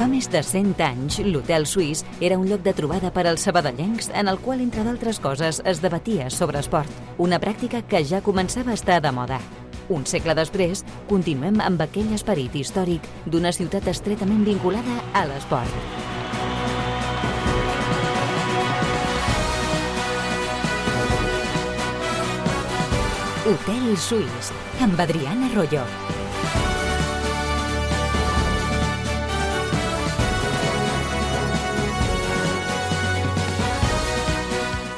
Fa més de 100 anys, l'Hotel Suís era un lloc de trobada per als sabadellencs en el qual, entre d'altres coses, es debatia sobre esport, una pràctica que ja començava a estar de moda. Un segle després, continuem amb aquell esperit històric d'una ciutat estretament vinculada a l'esport. Hotel Suís, amb Adriana Arroyo.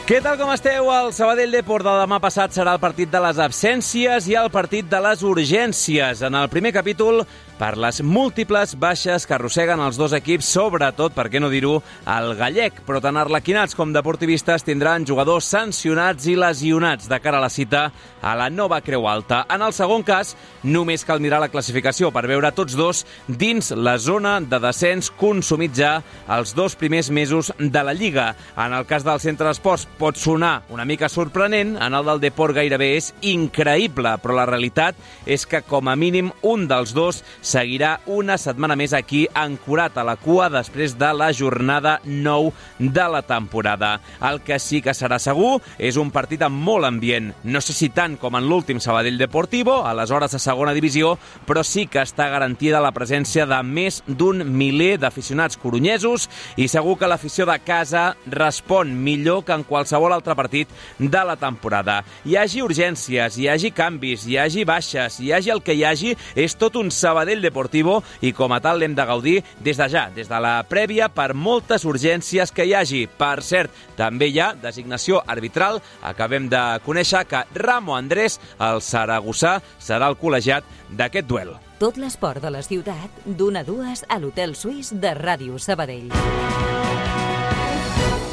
Què tal, com esteu? El Sabadell Depor de demà passat serà el partit de les absències i el partit de les urgències. En el primer capítol, per les múltiples baixes que arrosseguen els dos equips, sobretot, per què no dir-ho, el gallec. Però tant arlequinats com deportivistes tindran jugadors sancionats i lesionats de cara a la cita a la nova Creu Alta. En el segon cas, només cal mirar la classificació per veure tots dos dins la zona de descens consumit ja els 2 primers mesos de la Lliga. En el cas del Centre d'Esports pot sonar una mica sorprenent, en el del Depor gairebé és increïble, però la realitat és que com a mínim un dels dos seguirà una setmana més aquí ancorat a la cua després de la jornada 9 de la temporada. El que sí que serà segur és un partit amb molt ambient. No sé si tant com en l'últim Sabadell Deportivo, aleshores a segona divisió, però sí que està garantida la presència de més d'un miler d'aficionats coronyesos i segur que l'afició de casa respon millor que en qualsevol altre partit de la temporada. Hi hagi urgències, hi hagi canvis, hi hagi baixes, hi hagi el que hi hagi, és tot un Sabadell Deportivo i com a tal l'hem de gaudir des de ja, des de la prèvia, per moltes urgències que hi hagi. Per cert, també hi ha designació arbitral. Acabem de conèixer que Ramo Andrés, el saragossà, serà el col·legiat d'aquest duel. Tot l'esport de la ciutat, d'1 a 2 a l'Hotel Suís de Ràdio Sabadell.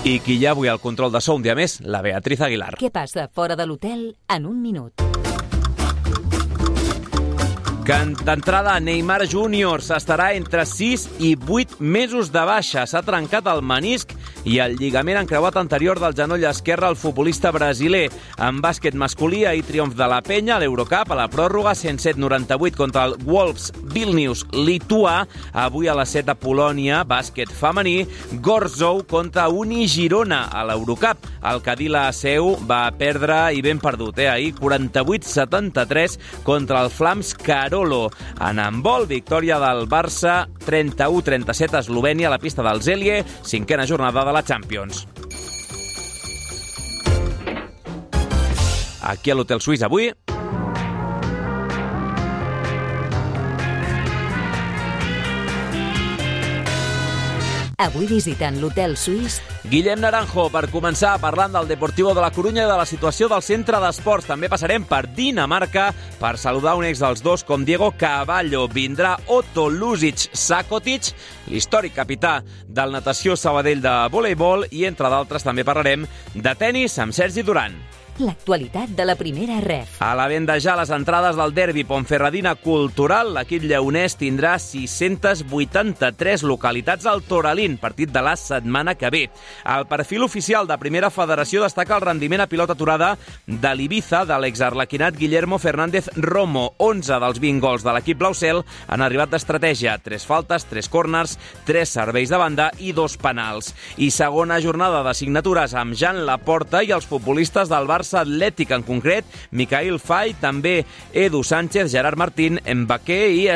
I qui hi ha avui al control de so un dia més, la Beatriz Aguilar. Què passa fora de l'hotel en un minut? D'entrada, Neymar Júnior estarà entre 6 i 8 mesos de baixa. S'ha trencat el menisc i el lligament encreuat anterior del genoll esquerre al futbolista brasiler. En bàsquet masculí, ahir triomf de la Penya a l'Eurocup, a la pròrroga, 107-98 contra el Wolves Vilnius lituà. Avui a les 7 a Polònia, bàsquet femení, Gorzów contra Uni Girona a l'Eurocup. El Cadila Seu va perdre i ben perdut, ahir 48-73 contra el Flams Carol. En handbol, victòria del Barça 31-37 a Eslovènia a la pista del Zelie, 5a jornada de la Champions. Aquí a l'Hotel Suís avui Avui visitant l'Hotel Suís, Guillem Naranjo, per començar parlant del Deportivo de la Corunya i de la situació del centre d'esports. També passarem per Dinamarca per saludar un ex dels dos com Diego Cavallo. Vindrà Otto Luzic Sakotic, l'històric capità del Natació Sabadell de voleibol, i entre d'altres també parlarem de tennis amb Sergi Duran. l'actualitat de la primera ref. A la venda ja les entrades del derbi Ponferradina Cultural. L'equip lleonès tindrà 683 localitats al Toralín, partit de la setmana que ve. El perfil oficial de Primera Federació destaca el rendiment a pilota aturada de l'Ibiza de l'exarlequinat Guillermo Fernández Romo. 11 dels 20 gols de l'equip blaucel han arribat d'estratègia. 3 faltes, 3 córners, 3 serveis de banda i 2 penals. I segona jornada de signatures amb Jan Laporta i els futbolistes del Barça Atlètic, en concret Micael Fay, també Edu Sánchez, Gerard Martín, Mbappé i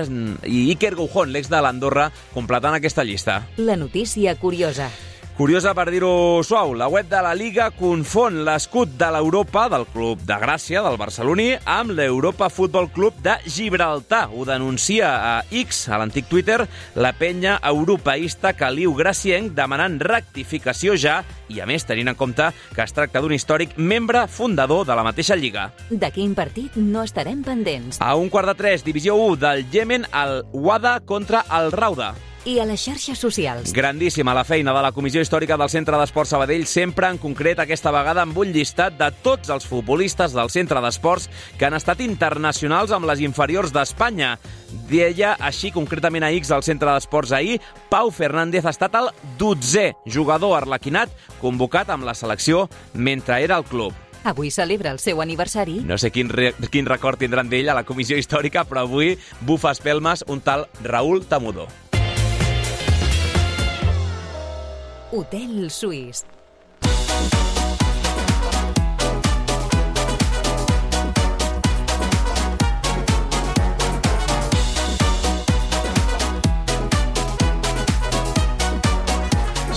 Iker Goujón, l'ex de l'Andorra, completant aquesta llista. La notícia curiosa. Curiosa per dir-ho suau, la web de la Liga confon l'escut de l'Europa, del Club de Gràcia, del barceloní, amb l'Europa Futbol Club de Gibraltar. Ho denuncia a X, a l'antic Twitter, la penya europeista Caliu Gracienc, demanant rectificació ja, i a més tenint en compte que es tracta d'un històric membre fundador de la mateixa Lliga. De quin partit no estarem pendents? A 1:15, divisió 1 del Iemen, el Wada contra el Rauda. I a les xarxes socials. Grandíssima la feina de la Comissió Històrica del Centre d'Esports Sabadell, sempre en concret aquesta vegada amb un llistat de tots els futbolistes del Centre d'Esports que han estat internacionals amb les inferiors d'Espanya. Deia així concretament a X del Centre d'Esports ahir, Pau Fernández ha estat el 12è jugador arlequinat convocat amb la selecció mentre era al club. Avui celebra el seu aniversari. No sé quin record tindran d'ell a la Comissió Històrica, però avui bufa espelmes un tal Raúl Tamudo. Hotel Suís.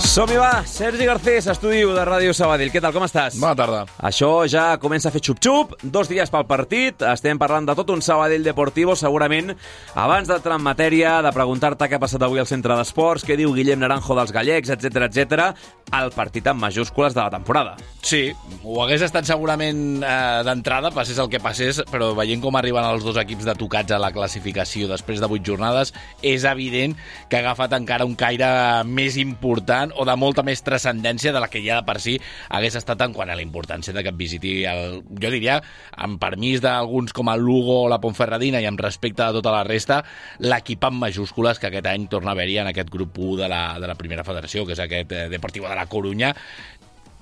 Som-hi, va! Sergi Garcés, estudi de Ràdio Sabadell. Què tal, com estàs? Bona tarda. Això ja comença a fer xup-xup, 2 dies pel partit, estem parlant de tot un Sabadell Deportivo, segurament, abans d'entrar en matèria, de preguntar-te què ha passat avui al centre d'esports, què diu Guillem Naranjo dels gallecs, etc, el partit amb majúscules de la temporada. Sí, ho hagués estat segurament d'entrada, passés el que passés, però veient com arriben els dos equips de tocats a la classificació després de 8 jornades, és evident que ha agafat encara un caire més important o de molta més transcendència de la que ja de per si hagués estat en quant a la importància de que visiti, jo diria, amb permís d'alguns com el Lugo o la Ponferradina i amb respecte a tota la resta, l'equip amb majúscules que aquest any torna a haver-hi en aquest grup 1 de la primera federació, que és aquest Deportivo de la Corunya.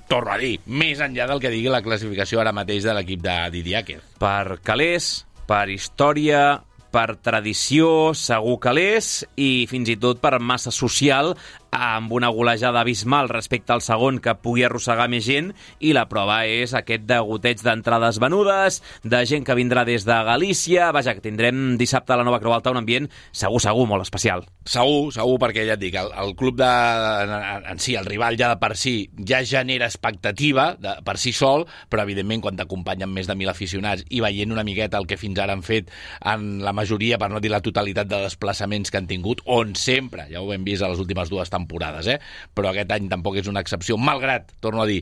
Torno a dir, més enllà del que digui la classificació ara mateix de l'equip de Didier Àquez. Per calés, per història, per tradició, segur calés, i fins i tot per massa social, amb una golejada abismal respecte al segon que pugui arrossegar més gent, i la prova és aquest degoteig d'entrades venudes, de gent que vindrà des de Galícia. Vaja, que tindrem dissabte a la Nova Creu Alta un ambient segur, molt especial. Segur, perquè ja et dic, el club en si, el rival ja de per si, ja genera expectativa per si sol, però evidentment quan t'acompanyen més de 1.000 aficionats i veient una miqueta el que fins ara han fet en la majoria, per no dir la totalitat de desplaçaments que han tingut, on sempre, ja ho hem vist a les últimes 2 temporades, però aquest any tampoc és una excepció, malgrat, torno a dir,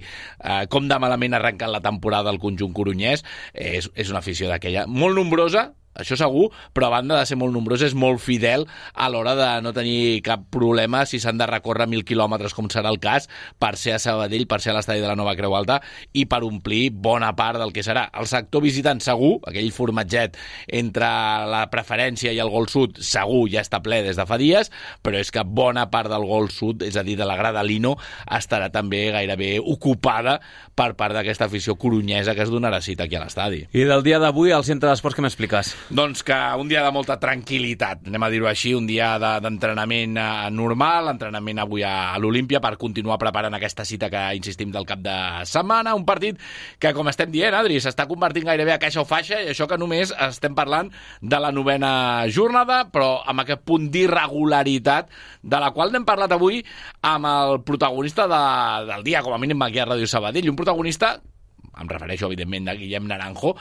com de malament ha arrencat la temporada el conjunt corunyès, és una afició d'aquella molt nombrosa, això segur, però a banda de ser molt nombrosa és molt fidel a l'hora de no tenir cap problema si s'han de recórrer 1.000 quilòmetres, com serà el cas, per ser a Sabadell, per ser a l'estadi de la Nova Creu Alta i per omplir bona part del que serà. El sector visitant segur, aquell formatget entre la preferència i el gol sud, segur ja està ple des de fa dies, però és que bona part del gol sud, és a dir, de la grada Lino, estarà també gairebé ocupada per part d'aquesta afició corunyesa que es donarà cita aquí a l'estadi. I del dia d'avui al centre d'esports, què m'expliques? Doncs que un dia de molta tranquil·litat, anem a dir-ho així, un dia d'entrenament normal, entrenament avui a l'Olímpia per continuar preparant aquesta cita que insistim del cap de setmana, un partit que, com estem dient, Adri, s'està convertint gairebé a caixa o faixa, i això que només estem parlant de la 9a jornada, però amb aquest punt d'irregularitat de la qual n'hem parlat avui amb el protagonista del dia, com a mínim aquí a Ràdio Sabadell, un protagonista, em refereixo evidentment a Guillem Naranjo,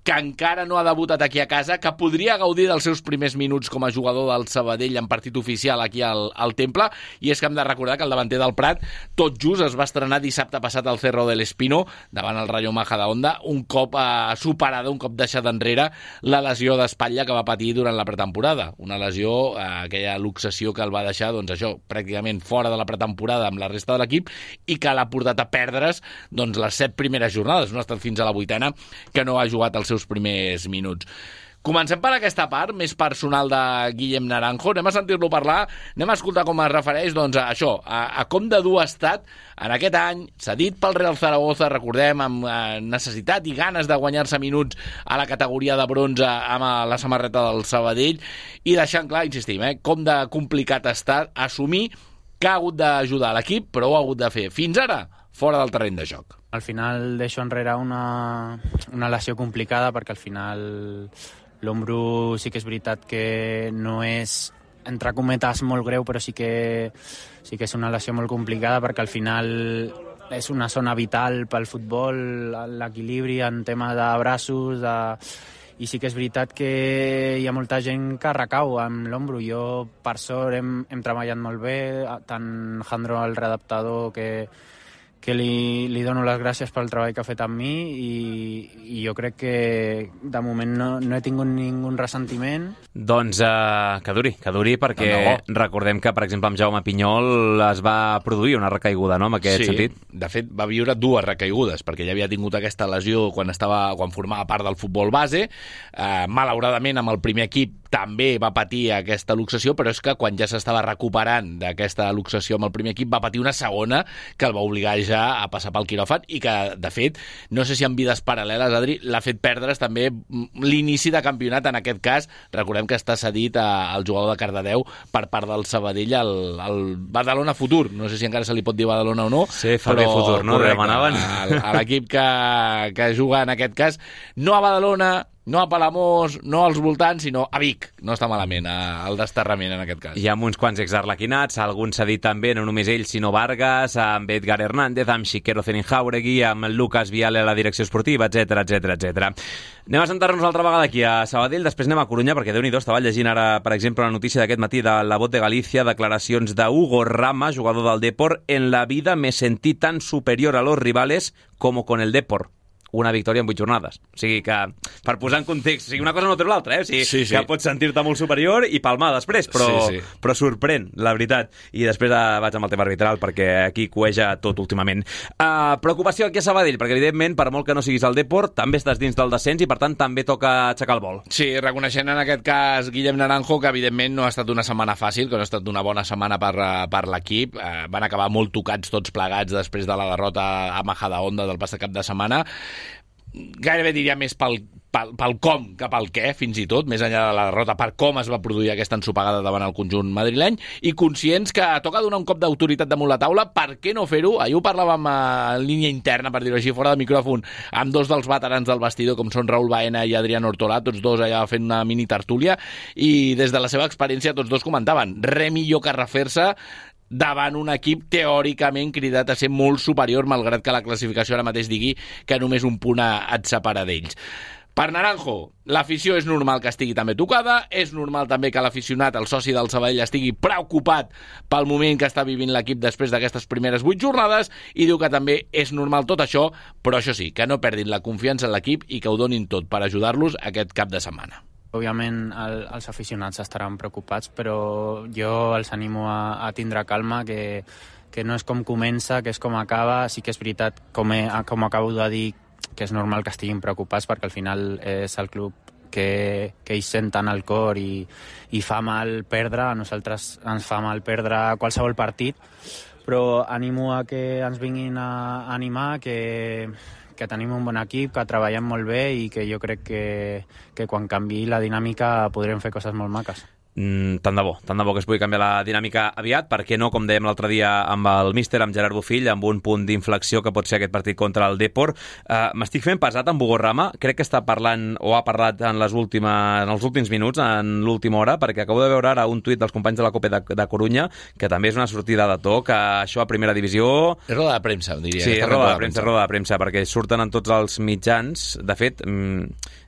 que encara no ha debutat aquí a casa, que podria gaudir dels seus primers minuts com a jugador del Sabadell en partit oficial aquí al Temple, i és que hem de recordar que el davanter del Prat tot just es va estrenar dissabte passat al Cerro del Espino davant el Rayo Majadahonda, un cop superada, un cop deixada enrere la lesió d'espatlla que va patir durant la pretemporada, una lesió, aquella luxació que el va deixar, doncs això, pràcticament fora de la pretemporada amb la resta de l'equip, i que l'ha portat a perdre's doncs les 7 primeres jornades, no ha estat fins a la 8a que no ha jugat els seus primers minuts. Comencem per aquesta part més personal de Guillem Naranjo, anem a sentir-lo parlar, anem a escoltar com es refereix doncs, a això, a com de dur ha estat en aquest any, cedit pel Real Zaragoza, recordem, amb necessitat i ganes de guanyar-se minuts a la categoria de bronze amb la samarreta del Sabadell, i deixant clar, insistim, com de complicat ha estat assumir que ha hagut d'ajudar l'equip, però ho ha hagut de fer fins ara fora del terreny de joc. Al final deixo enrere una lesió complicada, perquè al final l'ombro sí que és veritat que no és, entre cometes, molt greu, però sí que és una lesió molt complicada, perquè al final és una zona vital pel futbol, l'equilibri en tema de braços, i sí que és veritat que hi ha molta gent que recau amb l'ombro. Jo, per sort, hem treballat molt bé, tant Jandro, el readaptador, que li dono les gràcies pel treball que ha fet amb mi, i jo crec que de moment no he tingut ningú ressentiment. Doncs que duri, perquè recordem que, per exemple, amb Jaume Pinyol es va produir una recaiguda, no?, en aquest sentit. De fet, va viure 2 recaigudes, perquè ja havia tingut aquesta lesió quan formava part del futbol base. Malauradament, amb el primer equip també va patir aquesta luxació, però és que quan ja s'estava recuperant d'aquesta luxació amb el primer equip va patir una segona que el va obligar ja a passar pel quiròfan i que, de fet, no sé si en vides paral·leles, Adri, l'ha fet perdre's també l'inici de campionat, en aquest cas. Recordem que està cedit al jugador de Cardedeu per part del Sabadell al Badalona Futur. No sé si encara se li pot dir Badalona o no. Sí, fa bé Futur, no? Demanaven. A l'equip que juga en aquest cas, no a Badalona, no a Palamós, no als voltants, sinó a Vic. No està malament el desterrament en aquest cas. Hi ha uns quants exarlequinats, alguns s'ha dit també, no només ell, sinó Vargas, amb Edgar Hernández, amb Xiquero Zenin-Jauregui, amb Lucas Viale a la direcció esportiva, etc etc. Anem a sentar-nos altra vegada aquí a Sabadell, després anem a Corunya, perquè Déu-n'hi-do, estava llegint ara, per exemple, la notícia d'aquest matí de La Voz de Galícia, declaracions de Hugo Rama, jugador del Depor: en la vida me sentí tan superior a los rivales como con el Depor. Una victòria en 8 jornades. O sigui que, per posar en context, o sigui, una cosa no treu l'altra, O sigui, sí. Que pots sentir-te molt superior i palmar després, però sorprèn, la veritat. I després vaig amb el tema arbitral, perquè aquí cueja tot últimament. Preocupació aquí a Sabadell, perquè evidentment, per molt que no siguis al Depor, també estàs dins del descens i per tant també toca aixecar el vol. Sí, reconeixent en aquest cas Guillem Naranjo, que evidentment no ha estat una setmana fàcil, que no ha estat una bona setmana per l'equip. Van acabar molt tocats tots plegats després de la derrota a Majadahonda del passat cap de setmana. Gairebé diria més pel com que pel què, fins i tot, més enllà de la derrota, per com es va produir aquesta ensopegada davant el conjunt madrileny, i conscients que toca donar un cop d'autoritat damunt la taula. Per què no fer-ho? Ahir ho parlàvem en línia interna, per dir-ho així, fora de micròfon, amb dos dels veterans del vestidor, com són Raúl Baena i Adrián Ortolà, tots dos allà fent una mini tertúlia, i des de la seva experiència tots dos comentaven: res millor que refer-se davant un equip teòricament cridat a ser molt superior, malgrat que la classificació ara mateix digui que només un punt et separa d'ells. Per Naranjo, l'afició és normal que estigui també tocada, és normal també que l'aficionat, el soci del Sabadell, estigui preocupat pel moment que està vivint l'equip després d'aquestes primeres 8 jornades, i diu que també és normal tot això, però això sí, que no perdin la confiança en l'equip i que ho donin tot per ajudar-los aquest cap de setmana. Òbviament els aficionats estaran preocupats, però jo els animo a tindre calma, que no és com comença, que és com acaba. Sí que és veritat, com acabo de dir, que és normal que estiguin preocupats, perquè al final és el club que ells senten al cor i fa mal perdre. A nosaltres ens fa mal perdre qualsevol partit, però animo a que ens vinguin a animar, que tenim un bon equip, que treballem molt bé i que jo crec que quan canviï la dinàmica podrem fer coses molt maques. Tant de bo que es pugui canviar la dinàmica aviat, perquè no, com dèiem l'altre dia amb el míster, amb Gerard Bofill, amb un punt d'inflexió que pot ser aquest partit contra el Depor. M'estic fent pesat amb Hugo Rama, crec que està parlant o ha parlat en els últims minuts, en l'última hora, perquè acabo de veure ara un tuit dels companys de la Copa de Corunya, que també és una sortida de to, que això a primera divisió... És roda de premsa, diria. Sí, és roda de premsa, perquè surten en tots els mitjans. De fet,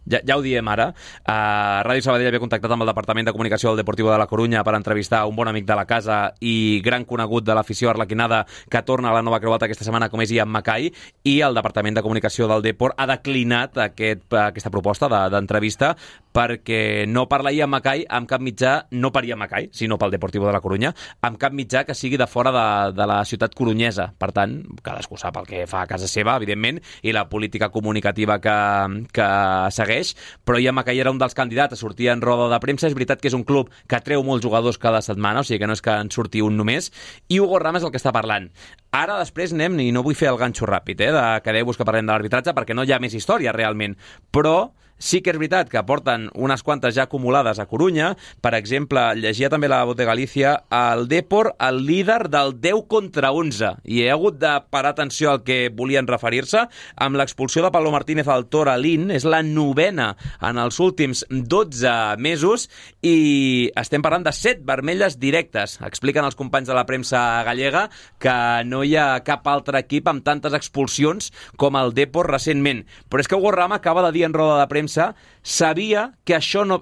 ja ho diem ara, Ràdio Sabadell havia contactat amb el Departament de Comunicació del Deportivo de la Corunya per entrevistar un bon amic de la casa i gran conegut de l'afició arlequinada que torna a la Nova Creu Alta aquesta setmana, com és Ian Mackay, i el Departament de Comunicació del Depor ha declinat aquesta proposta d'entrevista, perquè no parla Ian Mackay amb cap mitjà, no per Ian Mackay, sinó pel Deportivo de la Corunya, amb cap mitjà que sigui de fora de la ciutat corunyesa. Per tant, cadascú sap el que fa a casa seva, evidentment, i la política comunicativa que segueix, però Ian Mackay era un dels candidats a sortir en roda de premsa. És veritat que és un club que treu molts jugadors cada setmana, o sigui que no és que en surti un només, i Hugo Rama és el que està parlant. Ara després anem, i no vull fer el ganxo ràpid, de quedeu-vos que parlem de l'arbitratge, perquè no hi ha més història realment, però sí que és veritat que porten unes quantes ja acumulades a Corunya. Per exemple, llegia també la Voz de Galícia, el Depor, el líder del 10 contra 11, i he hagut de parar atenció al que volien referir-se, amb l'expulsió de Pablo Martínez al Toralín. És la 9ena en els últims 12 mesos, i estem parlant de 7 vermelles directes. Expliquen els companys de la premsa gallega que no hi ha cap altre equip amb tantes expulsions com el Depor recentment. Però és que Hugo Rama acaba de dir en roda de premsa, sabia que això no...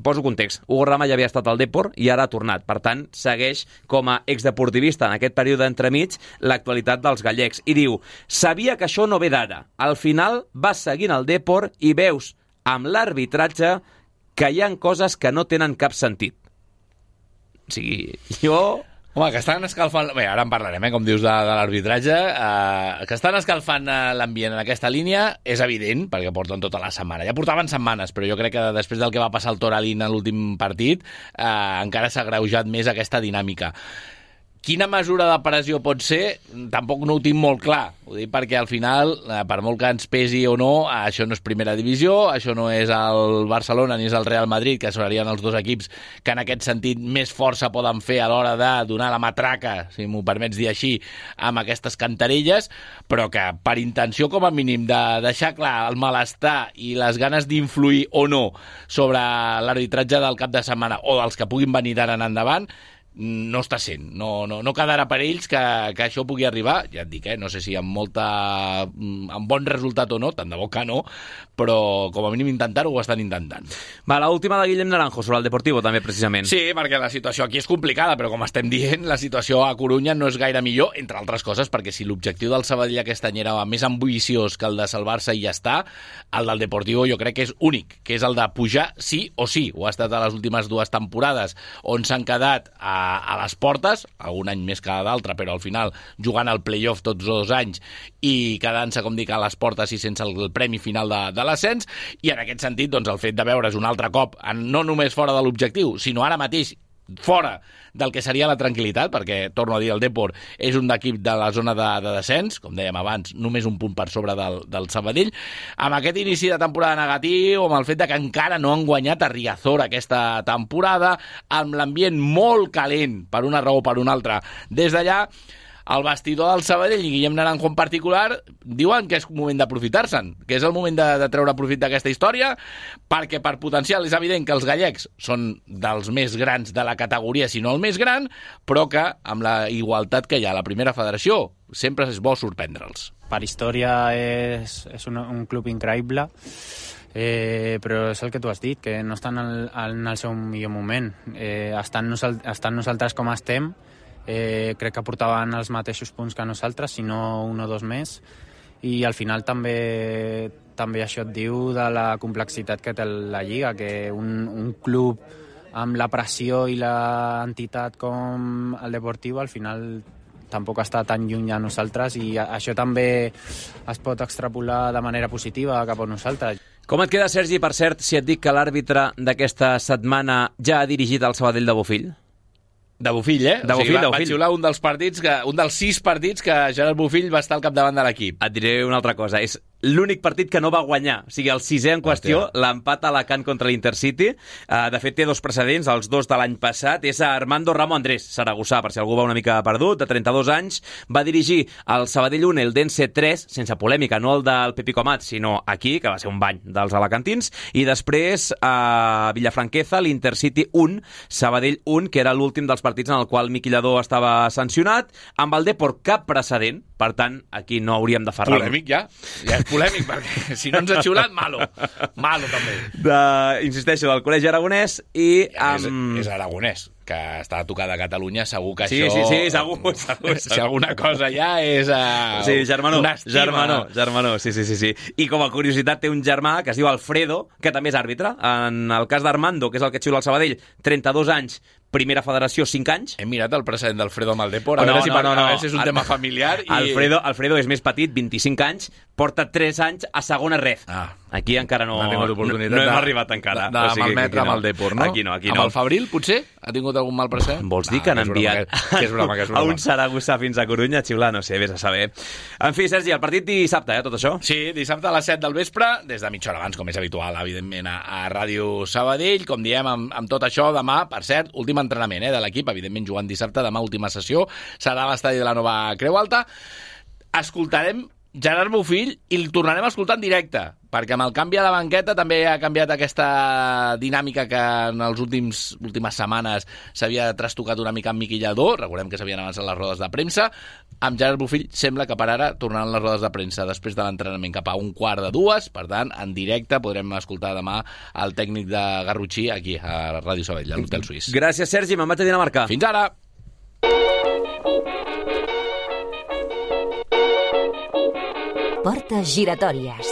Poso context. Hugo Rama ja havia estat al Depor i ara ha tornat. Per tant, segueix com a exdeportivista en aquest període entremig l'actualitat dels gallecs. I diu, sabia que això no ve d'ara. Al final vas seguint el Depor i veus amb l'arbitratge que hi ha coses que no tenen cap sentit. O sigui, jo Home, que estan escalfant... Bé, ara en parlarem, com dius, de l'arbitratge. Que estan escalfant l'ambient en aquesta línia és evident, perquè porten tota la setmana. Ja portaven setmanes, però jo crec que després del que va passar al Toralín en l'últim partit, encara s'ha agreujat més aquesta dinàmica. Quina mesura de pressió pot ser? Tampoc no ho tinc molt clar. Ho dic perquè al final, per molt que ens pesi o no, això no és primera divisió, això no és el Barcelona ni és el Real Madrid, que serien els dos equips que en aquest sentit més força poden fer a l'hora de donar la matraca, si m'ho permets dir així, amb aquestes cantarelles, però que per intenció com a mínim de deixar clar el malestar i les ganes d'influir o no sobre l'arbitratge del cap de setmana o dels que puguin venir d'ara en endavant, no està sent, no quedarà per ells que això pugui arribar, ja et dic, no sé si amb bon resultat o no, tant de bo que no, però com a mínim intentar-ho ho estan intentant. Va, l'última de Guillem Naranjo sobre el Deportivo també, precisament. Sí, perquè la situació aquí és complicada, però com estem dient, la situació a Corunya no és gaire millor, entre altres coses, perquè si l'objectiu del Sabadell aquest any era més ambiciós que el de salvar-se i ja està, el del Deportivo jo crec que és únic, que és el de pujar sí o sí. Ho ha estat a les últimes 2 temporades, on s'han quedat a les portes, algun any més que d'altre, però al final jugant al play-off tots 2 anys i quedant-se, com dic, a les portes i sense el premi final de l'ascens, i en aquest sentit, doncs, el fet de veure's un altre cop, no només fora de l'objectiu, sinó ara mateix fora del que seria la tranquil·litat, perquè, torno a dir, el Depor és un equip de la zona de descens, com dèiem abans, només un punt per sobre del Sabadell, amb aquest inici de temporada negatiu, amb el fet de que encara no han guanyat a Riazor aquesta temporada, amb l'ambient molt calent, per una raó o per una altra, des d'allà, el vestidor del Sabadell i Guillem Naranjo en particular diuen que és moment d'aprofitar-se'n, que és el moment de treure profit d'aquesta història, perquè per potencial és evident que els gallecs són dels més grans de la categoria, si no el més gran, però que amb la igualtat que hi ha a la primera federació sempre és bo sorprendre'ls. Per història és un club increïble, però és el que tu has dit, que no estan en el seu millor moment. Estan nosaltres com estem, crec que portaven els mateixos punts que nosaltres, si no 1 o 2 més, i al final també això et diu de la complexitat que té la Lliga, que un club amb la pressió i l'entitat com el Deportivo al final tampoc està tan lluny a nosaltres, i això també es pot extrapolar de manera positiva cap a nosaltres. Com et queda, Sergi, per cert, si et dic que l'àrbitre d'aquesta setmana ja ha dirigit el Sabadell de Bofill? De Bofill, De Bofill, va xiular un dels 6 partits que Gerard Bofill va estar al capdavant de l'equip. Et diré una altra cosa, és l'únic partit que no va guanyar, o sigui, el 6è en qüestió, l'empat a Alacant contra l'Intercity. De fet, té 2 precedents, els 2 de l'any passat. És a Armando Ramo Andrés, saragossà, per si algú va una mica perdut, de 32 anys. Va dirigir el Sabadell 1, el Dense 3, sense polèmica, no el del Pepi Comat, sinó aquí, que va ser un bany dels alacantins. I després, a Villafranqueza, l'Intercity 1, Sabadell 1, que era l'últim dels partits en el qual Miqui Lladó estava sancionat. Amb el Depor cap precedent, per tant, aquí no hauríem de ferrar. Polèmic ja és polèmic, perquè si no ens ha xiulat, malo també. Insisteixo, del Col·legi Aragonès i amb... És aragonès, que està a tocar de Catalunya, segur que sí, això... Sí, segur. Si alguna cosa ja és... Sí, germanó, sí. I com a curiositat té un germà que es diu Alfredo, que també és àrbitre. En el cas d'Armando, que és el que xiula el Sabadell, 32 anys, primera federació, 5 anys. Hem mirat el precedent d'Alfredo amb el Depor, a veure si és un tema familiar. Alfredo és més petit, 25 anys, porta 3 anys a segona red. Aquí encara no hem arribat encara. De malmetre amb el Depor, no? Aquí no. Amb el Fabril, potser? Ha tingut algun mal precedent? Vols dir que han enviat a un saragossà fins a Corunya a xiular? No sé, vés a saber. En fi, Sergi, el partit dissabte, tot això? Sí, dissabte a les 7 del vespre, des de mitja hora abans, com és habitual, evidentment, a Ràdio Sabadell. Com diem, amb tot això, demà, per cert, últim entrenament de l'equip, evidentment jugant dissabte, demà última sessió, serà a l'estadi de la Nova Creu Alta. Escoltarem Gerard Bofill i el tornarem a escoltar en directe, perquè amb el canvi a la banqueta també ha canviat aquesta dinàmica que en les últimes setmanes s'havia trastocat una mica amb Miqui Lladó. Recordem que s'havien avançat les rodes de premsa. Amb Gerard Bofill sembla que per ara tornaran les rodes de premsa després de l'entrenament cap a 1:15, per tant, en directe podrem escoltar demà el tècnic de Garrotxí aquí a Ràdio Sabadell, a l'Hotel Suís. Gràcies, Sergi, me'n vaig a Dinamarca. Fins ara! Portes giratòries.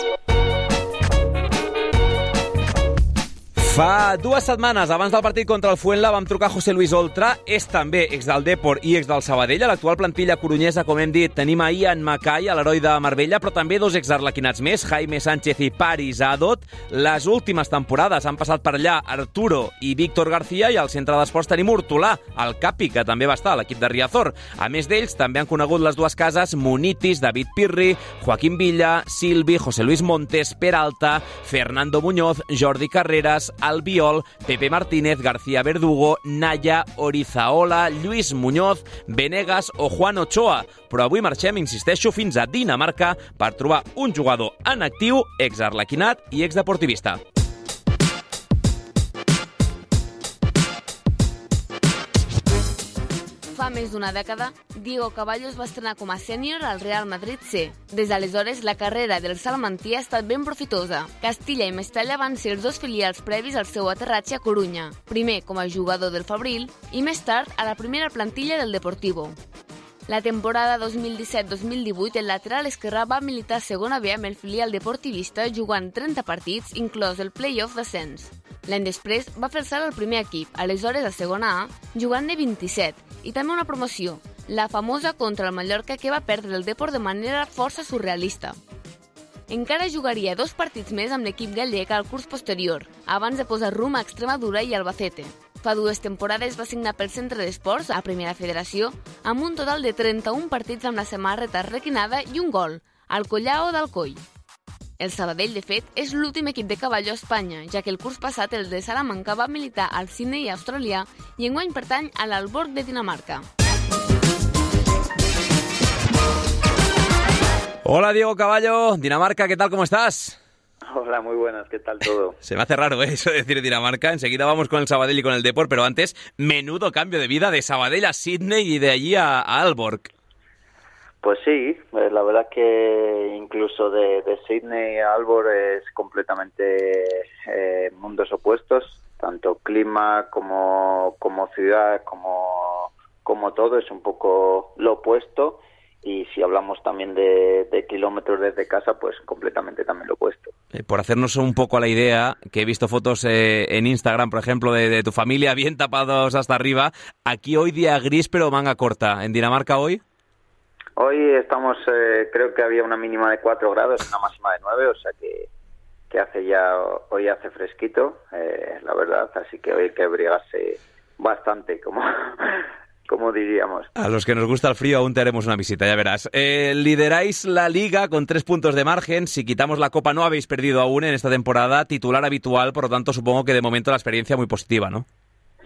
Fa 2 setmanes, abans del partit contra el Fuenla, vam trucar a José Luis Oltra, és també ex del Depor i ex del Sabadell. A l'actual plantilla corunyesa, com hem dit, tenim a Ian Mackay, a l'heroi de Marbella, però també 2 exarlequinats més, Jaime Sánchez i Paris Adot. Les últimes temporades han passat per allà Arturo i Víctor García, i al centre d'esports tenim Hortolà, el Capi, que també va estar a l'equip de Riazor. A més d'ells, també han conegut les dues cases Munitis, David Pirri, Joaquín Villa, Silvi, José Luis Montes, Peralta, Fernando Muñoz, Jordi Carreras, Albiol, Pepe Martínez, García Verdugo, Naya, Orizaola, Lluís Muñoz, Venegas o Juan Ochoa. Però avui marxem, insisteixo, fins a Dinamarca per trobar un jugador en actiu, ex-arlequinat i ex-deportivista. Fa més d'una dècada, Diego Caballo es va estrenar com a sènior al Real Madrid C. Des d'aleshores, la carrera del salmantí ha estat ben profitosa. Castilla i Mestalla van ser els 2 filials previs al seu aterratge a Corunya, primer com a jugador del Fabril i més tard a la primera plantilla del Deportivo. La temporada 2017-2018, el lateral esquerrà va militar a segona B amb el filial deportivista jugant 30 partits, inclòs el play-off d'ascens. L'any després va fer el salt al primer equip, aleshores a segona A, jugant de 27, i també una promoció, la famosa contra el Mallorca, que va perdre el Depor de manera força surrealista. Encara jugaria 2 partits més amb l'equip gallec al curs posterior, abans de posar rumb a Extremadura i Albacete. Fa 2 temporades va signar pel Centre d'Esports, a Primera Federació, amb un total de 31 partits amb la samarreta requinada i un gol, al Collao d'Alcoi. El Sabadell, de fet, és l'últim equip de Caballo a Espanya, ja que el curs passat el de Salamanca va militar al Sydney australià i enguany pertany a l'Aalborg de Dinamarca. Hola, Diego Caballo, Dinamarca, ¿qué tal? ¿Cómo estás? Hola, muy buenas, ¿qué tal todo? Se me hace raro, eso de decir Dinamarca. Enseguida vamos con el Sabadell y con el Depor, pero antes, menudo cambio de vida de Sabadell a Sydney y de allí a Aalborg. Pues sí, la verdad que incluso de Sydney a Aalborg es completamente mundos opuestos, tanto clima como ciudad, como todo, es un poco lo opuesto. Y si hablamos también de kilómetros desde casa, pues completamente también lo opuesto. Por hacernos un poco a la idea, que he visto fotos en Instagram, por ejemplo, de tu familia bien tapados hasta arriba. Aquí hoy día gris pero manga corta. ¿En Dinamarca hoy? Hoy estamos, creo que había una mínima de 4 grados, una máxima de 9, o sea que hoy hace fresquito, la verdad, así que hoy hay que abrigarse bastante, como diríamos. A los que nos gusta el frío aún te haremos una visita, ya verás. Lideráis la Liga con 3 puntos de margen. Si quitamos la Copa no habéis perdido aún en esta temporada. Titular habitual, por lo tanto supongo que de momento la experiencia muy positiva, ¿no?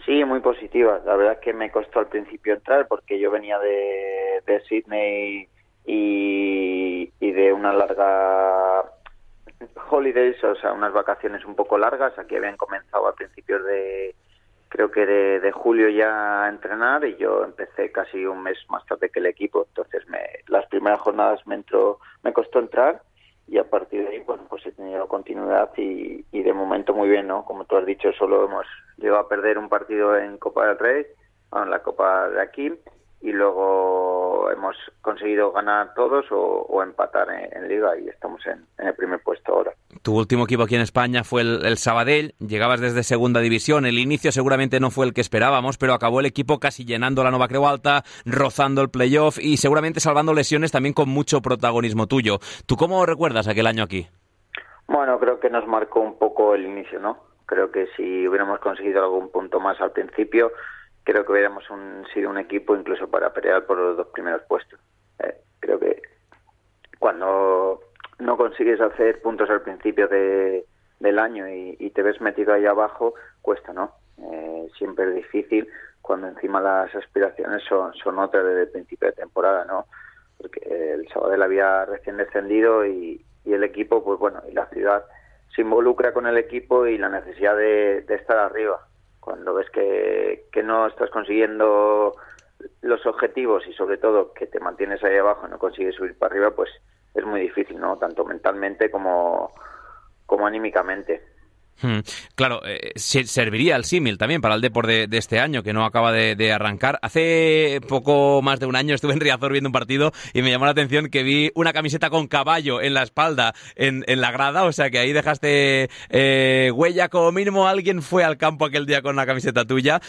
Sí, muy positiva. La verdad es que me costó al principio entrar porque yo venía de Sydney y de una larga holidays, o sea, unas vacaciones un poco largas. Aquí habían comenzado a principios creo que de julio ya a entrenar, y yo empecé casi un mes más tarde que el equipo. Entonces las primeras jornadas me costó entrar, y a partir de ahí pues he tenido continuidad y de momento muy bien, ¿no? Como tú has dicho, solo hemos llegado a perder un partido en Copa del Rey, en la Copa de aquí, y luego hemos conseguido ganar todos o empatar en Liga, y estamos en el primer puesto ahora. Tu último equipo aquí en España fue el Sabadell, llegabas desde segunda división, el inicio seguramente no fue el que esperábamos, pero acabó el equipo casi llenando la Nova Creu Alta, rozando el playoff y seguramente salvando lesiones también con mucho protagonismo tuyo. ¿Tú cómo recuerdas aquel año aquí? Bueno, creo que nos marcó un poco el inicio, ¿no? Creo que si hubiéramos conseguido algún punto más al principio, creo que hubiéramos sido un equipo incluso para pelear por los 2 primeros puestos. Creo que cuando no consigues hacer puntos al principio del año y te ves metido ahí abajo, cuesta, ¿no? Siempre es difícil cuando encima las aspiraciones son otras desde el principio de temporada, ¿no? Porque el Sabadell había recién descendido y el equipo, pues bueno, y la ciudad se involucra con el equipo y la necesidad de estar arriba. Cuando ves que no estás consiguiendo los objetivos y sobre todo que te mantienes ahí abajo y no consigues subir para arriba, pues es muy difícil, ¿no? Tanto mentalmente como anímicamente. Claro, serviría el símil también para el Depor de este año, que no acaba de arrancar. Hace poco más de un año estuve en Riazor viendo un partido y me llamó la atención que vi una camiseta con caballo en la espalda en la grada, o sea que ahí dejaste huella, como mínimo alguien fue al campo aquel día con una camiseta tuya.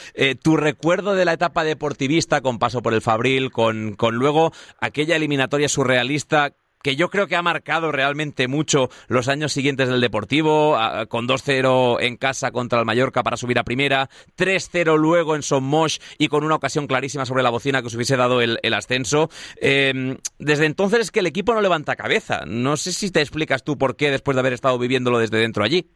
Tu recuerdo de la etapa deportivista, con paso por el Fabril, con luego aquella eliminatoria surrealista que yo creo que ha marcado realmente mucho los años siguientes del Deportivo, con 2-0 en casa contra el Mallorca para subir a primera, 3-0 luego en Son Moix y con una ocasión clarísima sobre la bocina que os hubiese dado el ascenso. Desde entonces es que el equipo no levanta cabeza. No sé si te explicas tú por qué, después de haber estado viviéndolo desde dentro allí.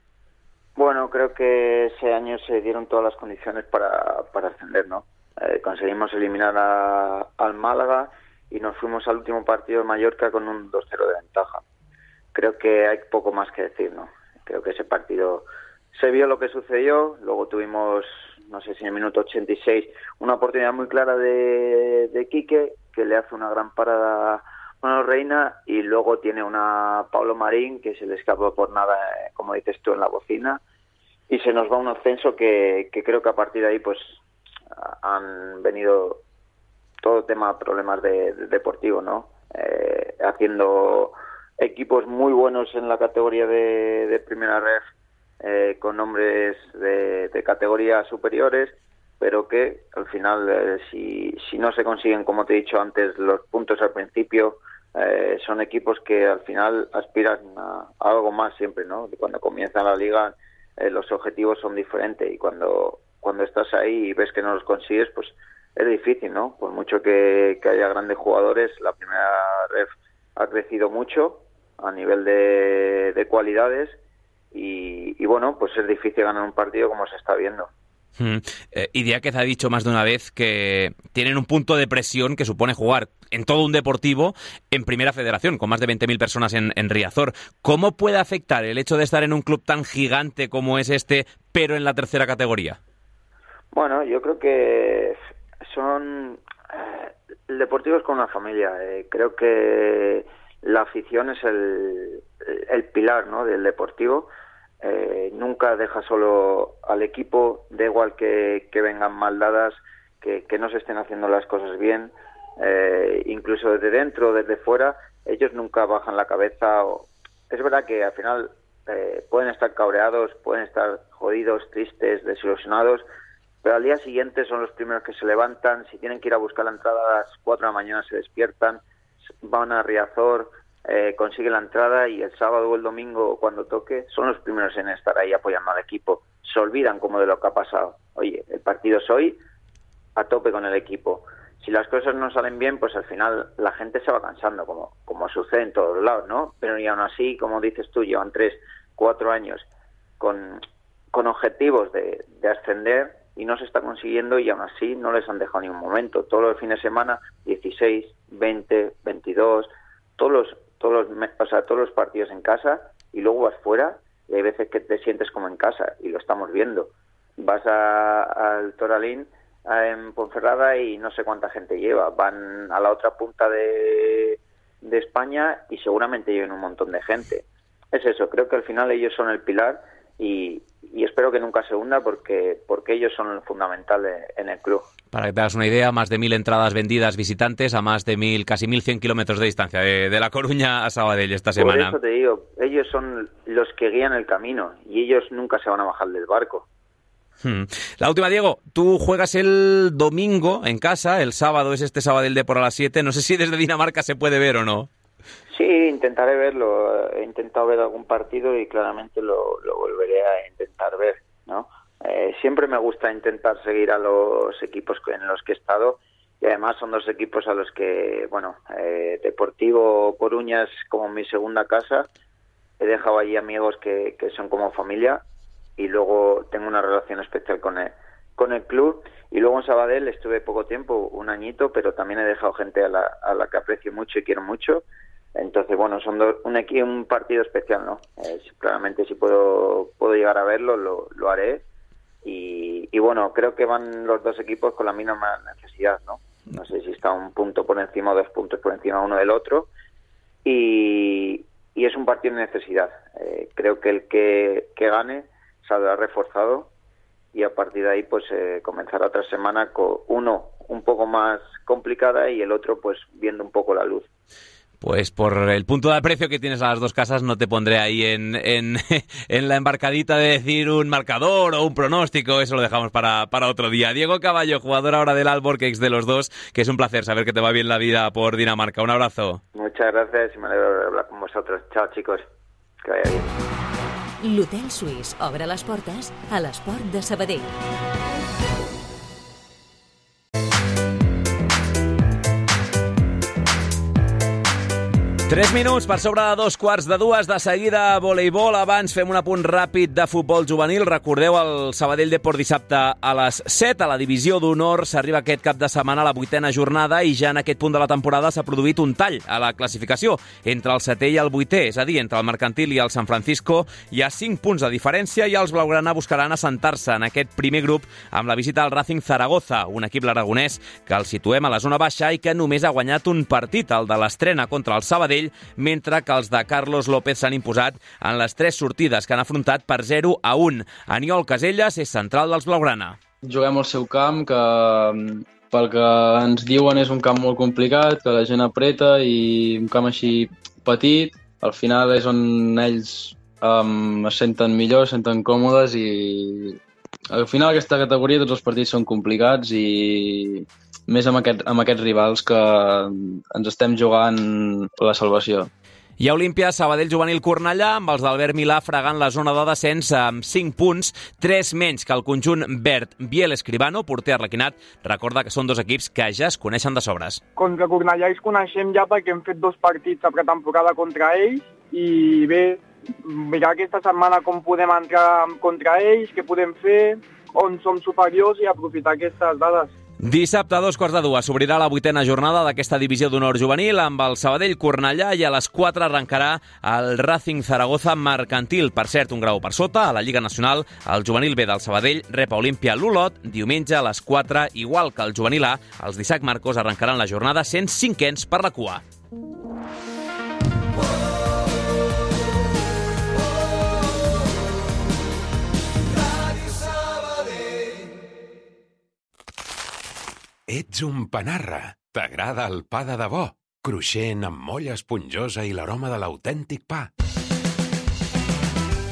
Bueno, creo que ese año se dieron todas las condiciones para ascender, ¿no? Conseguimos eliminar al Málaga y nos fuimos al último partido de Mallorca con un 2-0 de ventaja. Creo que hay poco más que decir, ¿no? Creo que ese partido se vio lo que sucedió, luego tuvimos, no sé si en el minuto 86, una oportunidad muy clara de Quique, que le hace una gran parada a Manuel Reina, y luego tiene una Pablo Marín, que se le escapó por nada, como dices tú, en la bocina, y se nos va un ascenso que creo que a partir de ahí pues han venido todo tema problemas deportivo, ¿no? Haciendo equipos muy buenos en la categoría de primera ref, con nombres de categorías superiores, pero que al final, si no se consiguen, como te he dicho antes, los puntos al principio, son equipos que al final aspiran a algo más siempre, ¿no? Cuando comienza la liga, los objetivos son diferentes, y cuando estás ahí y ves que no los consigues, pues es difícil, ¿no? Por mucho que haya grandes jugadores, la primera ref ha crecido mucho a nivel de cualidades y bueno, pues es difícil ganar un partido como se está viendo. Idiáquez ha dicho más de una vez que tienen un punto de presión que supone jugar en todo un Deportivo en Primera Federación, con más de 20.000 personas en Riazor. ¿Cómo puede afectar el hecho de estar en un club tan gigante como es este, pero en la tercera categoría? Bueno, yo creo que el Deportivo es como una familia. Creo que la afición es el pilar, ¿no?, del Deportivo. Nunca deja solo al equipo, da igual que vengan mal dadas, que no se estén haciendo las cosas bien, incluso desde dentro o desde fuera, ellos nunca bajan la cabeza. Es verdad que al final pueden estar cabreados, pueden estar jodidos, tristes, desilusionados, pero al día siguiente son los primeros que se levantan. Si tienen que ir a buscar la entrada a las 4 de la mañana, se despiertan, van a Riazor, consiguen la entrada, y el sábado o el domingo, cuando toque, son los primeros en estar ahí apoyando al equipo. Se olvidan como de lo que ha pasado. Oye, el partido es hoy, a tope con el equipo. Si las cosas no salen bien, pues al final la gente se va cansando, como sucede en todos lados, ¿no? Pero y aún así, como dices tú, llevan 3-4 años con objetivos de ascender, y no se está consiguiendo, y aún así no les han dejado ni un momento. Todos los fines de semana, 16, 20, 22, todos los partidos en casa, y luego vas fuera y hay veces que te sientes como en casa, y lo estamos viendo. Vas al Toralín en Ponferrada y no sé cuánta gente lleva. Van a la otra punta de España y seguramente lleven un montón de gente. Es eso, creo que al final ellos son el pilar, y espero que nunca se hunda, porque ellos son el fundamental en el club. Para que te hagas una idea, más de 1.000 entradas vendidas visitantes a más de casi 1.100 kilómetros de distancia de La Coruña a Sabadell esta semana. Por eso te digo, ellos son los que guían el camino, y ellos nunca se van a bajar del barco. La última, Diego, tú juegas el domingo en casa, el sábado es este Sabadell Depor a las 7, no sé si desde Dinamarca se puede ver o no. Sí, intentaré verlo. He intentado ver algún partido y claramente lo volveré a intentar ver, ¿no? Siempre me gusta intentar seguir a los equipos en los que he estado, y además son dos equipos a los que, bueno, Deportivo Coruña es como mi segunda casa. He dejado allí amigos que son como familia, y luego tengo una relación especial con el club. Y luego en Sabadell estuve poco tiempo, un añito, pero también he dejado gente a la que aprecio mucho y quiero mucho. Entonces, bueno, son un partido especial, ¿no? Claramente si puedo llegar a verlo, lo haré. Y bueno, creo que van los dos equipos con la misma necesidad, ¿no? No sé si está un punto por encima o 2 puntos por encima uno del otro. Y es un partido de necesidad. Creo que el que gane saldrá reforzado y a partir de ahí pues comenzará otra semana con uno un poco más complicada y el otro pues viendo un poco la luz. Pues por el punto de aprecio que tienes a las dos casas no te pondré ahí en la embarcadita de decir un marcador o un pronóstico, eso lo dejamos para otro día. Diego Caballo, jugador ahora del Alborg, de los dos, que es un placer saber que te va bien la vida por Dinamarca. Un abrazo. Muchas gracias y me alegro de hablar con vosotros. Chao, chicos. Que vaya bien. L'Hotel Suís obre les portes a l'esport de Sabadell. 3 minuts per sobre de 2:15. De seguida, voleibol. Abans fem un apunt ràpid de futbol juvenil. Recordeu el Sabadell Deport dissabte a les 7 a la divisió d'honor. S'arriba aquest cap de setmana a la 8ª jornada i ja en aquest punt de la temporada s'ha produït un tall a la classificació entre el 7è i el 8è, és a dir, entre el Mercantil i el San Francisco. Hi ha 5 punts de diferència i els blaugrana buscaran assentar-se en aquest primer grup amb la visita al Racing Zaragoza, un equip l'aragonès que el situem a la zona baixa i que només ha guanyat un partit, el de l'estrena contra el Sabadell, mentre que els de Carlos López s'han imposat en les 3 sortides que han afrontat per 0-1. Aniol Caselles és central dels blaugrana. Juguem al seu camp, que pel que ens diuen és un camp molt complicat, que la gent apreta i un camp així petit. Al final és on ells es senten millor, es senten còmodes i al final aquesta categoria tots els partits són complicats i més amb aquests rivals que ens estem jugant la salvació. Hi ha Olímpia, Sabadell Juvenil Cornellà, amb els d'Albert Milà fregant la zona de descens amb 5 punts, 3 menys que el conjunt verd. Biel Escribano, porter arlequinat, recorda que són 2 equips que ja es coneixen de sobres. Contra Cornellà els coneixem ja perquè hem fet 2 partits a pretemporada contra ells i bé, mirar aquesta setmana com podem entrar contra ells, què podem fer, on som superiors i aprofitar aquestes dades. Dissabte a 2:15 s'obrirà la 8ª jornada d'aquesta divisió d'honor juvenil amb el Sabadell Cornellà i a les 4 arrencarà el Racing Zaragoza Mercantil. Per cert, un grau per sota, a la Lliga Nacional, el juvenil B del Sabadell rep a Olímpia l'Olot diumenge a les 4, igual que el juvenil A, els d'Isaac Marcos arrencaran la jornada sent 5ens per la cua. Ets un panarra. T'agrada el pa de debò, cruixent amb molla esponjosa i l'aroma de l'autèntic pa.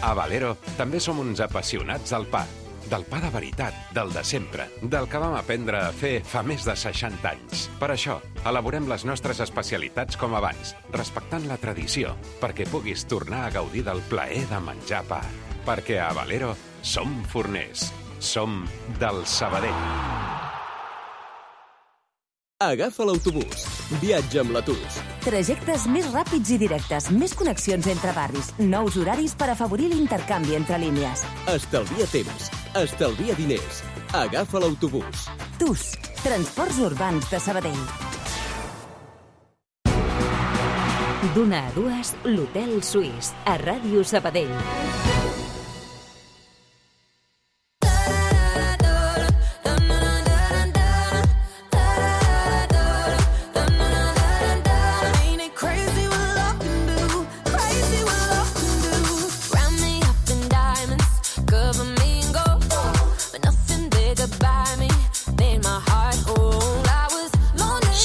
A Valero també som uns apassionats del pa. Del pa de veritat, del de sempre, del que vam aprendre a fer fa més de 60 anys. Per això, elaborem les nostres especialitats com abans, respectant la tradició, perquè puguis tornar a gaudir del plaer de menjar pa. Perquè a Valero som forners. Som del Sabadell. Agafa l'autobús. Viatja amb l'Atus. Trajectes més ràpids i directes, més connexions entre barris, nous horaris per afavorir l'intercanvi entre línies. Estalvia temps, estalvia diners. Agafa l'autobús. TUS, Transports Urbans de Sabadell. D'una a 2, l'Hotel Suís, a Ràdio Sabadell.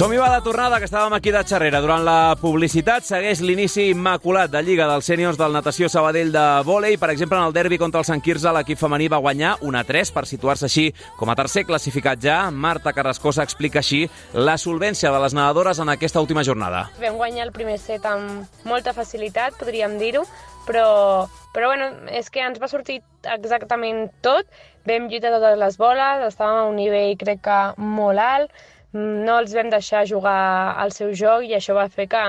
Som-hi va de tornada, que estàvem aquí de xerrera. Durant la publicitat segueix l'inici immaculat de Lliga dels Sèniors del Natació Sabadell de vòlei. Per exemple, en el derbi contra el Sant Quirze, l'equip femení va guanyar 1-3 per situar-se així com a tercer classificat ja. Marta Carrascosa explica així la solvència de les nedadores en aquesta última jornada. Vam guanyar el primer set amb molta facilitat, podríem dir-ho, però bueno, és que ens va sortir exactament tot. Vam lluitar totes les boles, estàvem a un nivell crec que molt alt, no els vam deixar jugar al seu joc i això va fer que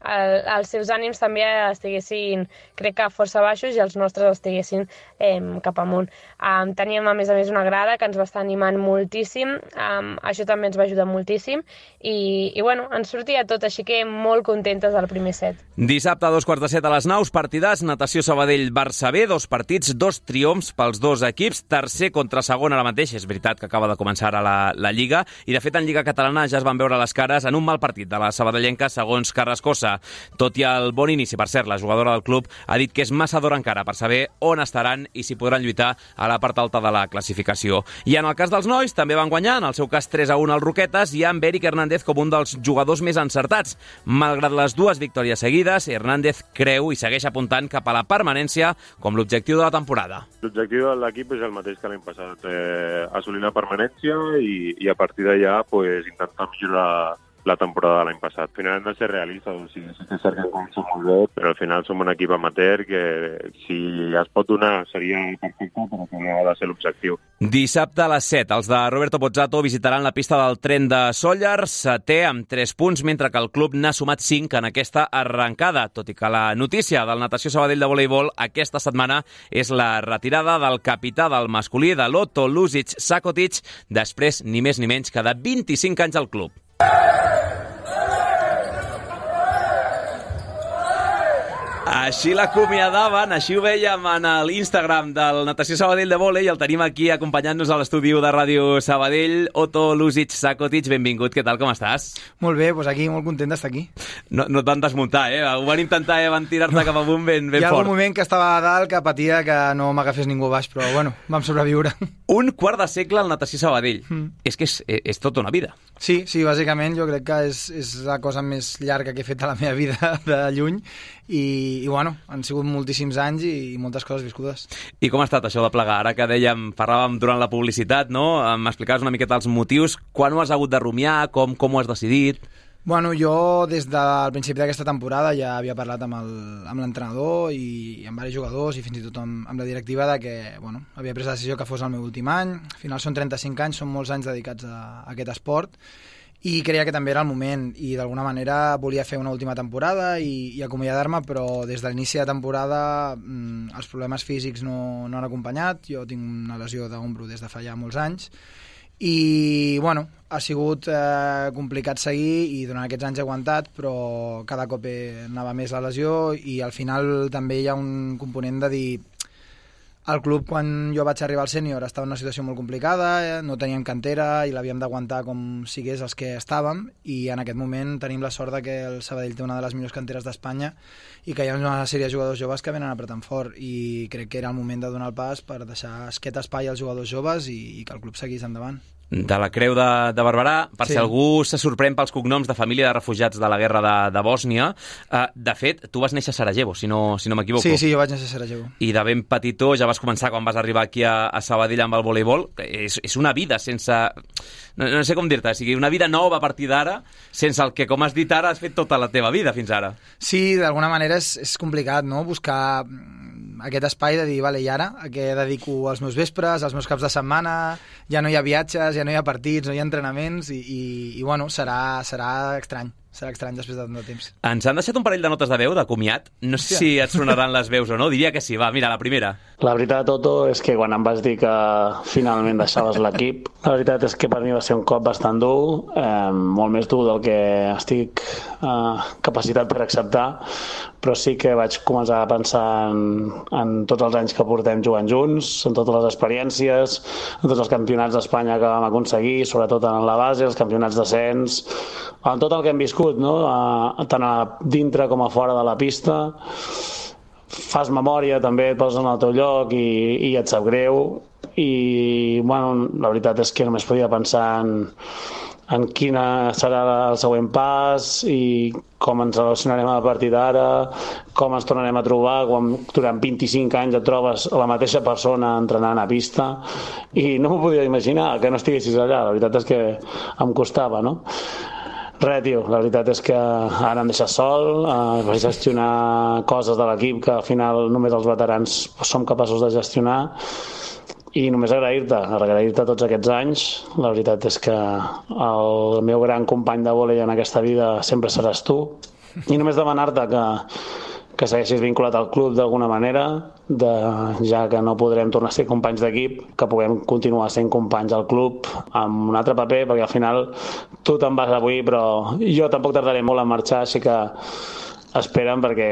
els seus ànims també estiguessin, crec que força baixos i els nostres estiguessin cap amunt. Teníem a més una grada que ens va estar animant moltíssim, això també ens va ajudar moltíssim i bueno, ens sortia tot, així que molt contentes del primer set. Dissabte a 2:15 a les Naus, partidars, Natació Sabadell-Barça B, 2 partits, 2 triomfs pels 2 equips, tercer contra segon ara mateix, és veritat que acaba de començar ara la Lliga, i de fet en Lliga Catalana ja es van veure les cares en un mal partit de la sabadellenca segons Carrascosa. Barça. Tot i el bon inici, per cert, la jugadora del club ha dit que és massa d'hora encara per saber on estaran i si podran lluitar a la part alta de la classificació. I en el cas dels nois, també van guanyar, en el seu cas 3-1 als Roquetes, i amb Eric Hernández com un dels jugadors més encertats. Malgrat les dues victòries seguides, Hernández creu i segueix apuntant cap a la permanència com l'objectiu de la temporada. L'objectiu de l'equip és el mateix que l'any passat, assolir la permanència i a partir d'allà intentar millorar la temporada de l'any passat. Al final hem de ser realistes, o sigui, sí que és cert que hem començat molt bé, però al final som un equip amateur que si es pot donar seria perfecte, però que no ha de ser l'objectiu. Dissabte a les 7, els de Roberto Pozzato visitaran la pista del tren de Sóller, setè amb 3 punts, mentre que el club n'ha sumat 5 en aquesta arrencada, tot i que la notícia del Natació Sabadell de voleibol aquesta setmana és la retirada del capità del masculí de l'Otto Luzic Sakotic, després ni més ni menys que de 25 anys al club. Així l'acomiadaven, així ho veiem en l'Instagram del Natació Sabadell de Vòlei, i el tenim aquí acompanyant-nos a l'estudi de Ràdio Sabadell. Otto Luzic Sakotic, benvingut, què tal, com estàs? Molt bé, doncs aquí, molt content d'estar aquí. No et van desmuntar, Ho van intentar, van tirar-te cap amunt ben fort. Hi ha algun moment que estava a dalt que patia que no m'agafés ningú baix, però bueno, vam sobreviure. Un quart de segle al Natació Sabadell. És que és tota una vida. Sí, bàsicament jo crec que és la cosa més llarga que he fet a la meva vida de lluny, i bueno, han sigut moltíssims anys i moltes coses viscudes. I com ha estat això de plegar? Ara que parlàvem durant la publicitat, no? M'explicaves una miqueta els motius, quan ho has hagut de rumiar, com ho has decidit? Bueno, jo des del principi d'aquesta temporada ja havia parlat amb l'entrenador i amb diversos jugadors i fins i tot amb la directiva de que havia pres la decisió que fos el meu últim any. Al final són 35 anys, són molts anys dedicats a aquest esport, i creia que també era el moment, i d'alguna manera volia fer una última temporada i acomiadar-me, però des de l'inici de temporada els problemes físics no han acompanyat. Jo tinc una lesió d'ombro des de fa ja molts anys i bueno, ha sigut complicat seguir, i durant aquests anys he aguantat, però cada cop anava més la lesió, i al final també hi ha un component de dir: el club, quan jo vaig arribar al sènior, estava en una situació molt complicada, no teníem cantera i l'havíem d'aguantar com sigués els que estàvem, i en aquest moment tenim la sort de que el Sabadell té una de les millors canteres d'Espanya i que hi ha una sèrie de jugadors joves que venen apretant fort, i crec que era el moment de donar el pas per deixar aquest espai als jugadors joves i que el club seguís endavant. De la Creu de Barberà, per si algú se sorprèn pels cognoms de família de refugiats de la guerra de Bòsnia. De fet, tu vas néixer a Sarajevo, si no m'equivoco. Sí, jo vaig néixer a Sarajevo. I de ben petitó ja vas començar quan vas arribar aquí a Sabadell amb el voleibol. És una vida sense... No sé com dir-te, o sigui, una vida nova a partir d'ara, sense el que, com has dit ara, has fet tota la teva vida fins ara. Sí, d'alguna manera és complicat, no?, buscar aquest espai de dir, vale, i ara a què dedico els meus vespres, els meus caps de setmana, ja no hi ha viatges, ja no hi ha partits, no hi ha entrenaments, i bueno, serà estrany. Serà estrany després de tant de temps. Ens han deixat un parell de notes de veu, de comiat. No sé si et sonaran les veus o no. Diria que sí. Va, mira, la primera. La veritat, Toto, és que quan em vas dir que finalment deixaves l'equip, la veritat és que per mi va ser un cop bastant dur, molt més dur del que estic capacitat per acceptar, però sí que vaig començar a pensar en tots els anys que portem jugant junts, en totes les experiències, en tots els campionats d'Espanya que vam aconseguir, sobretot en la base, els campionats d'ascens, en tot el que hem viscut, no? Tant a dintre com a fora de la pista. Fas memòria, també et poses en el teu lloc i et sap greu, i bueno, la veritat és que només podia pensar en quin serà el següent pas i com ens relacionarem a partir d'ara, com ens tornarem a trobar quan durant 25 anys et trobes la mateixa persona entrenant a pista, i no m'ho podia imaginar que no estiguessis allà. La veritat és que em costava, no? Res, tio, la veritat és que ara em deixes sol, vaig gestionar coses de l'equip que al final només els veterans som capaços de gestionar, i només agrair-te tots aquests anys. La veritat és que el meu gran company de vòlei en aquesta vida sempre seràs tu, i només demanar-te que segueixis vinculat al club d'alguna manera, ja que no podrem tornar a ser companys d'equip, que puguem continuar sent companys al club amb un altre paper, perquè al final tu te'n vas avui, però jo tampoc tardaré molt en marxar, així que espera'm, perquè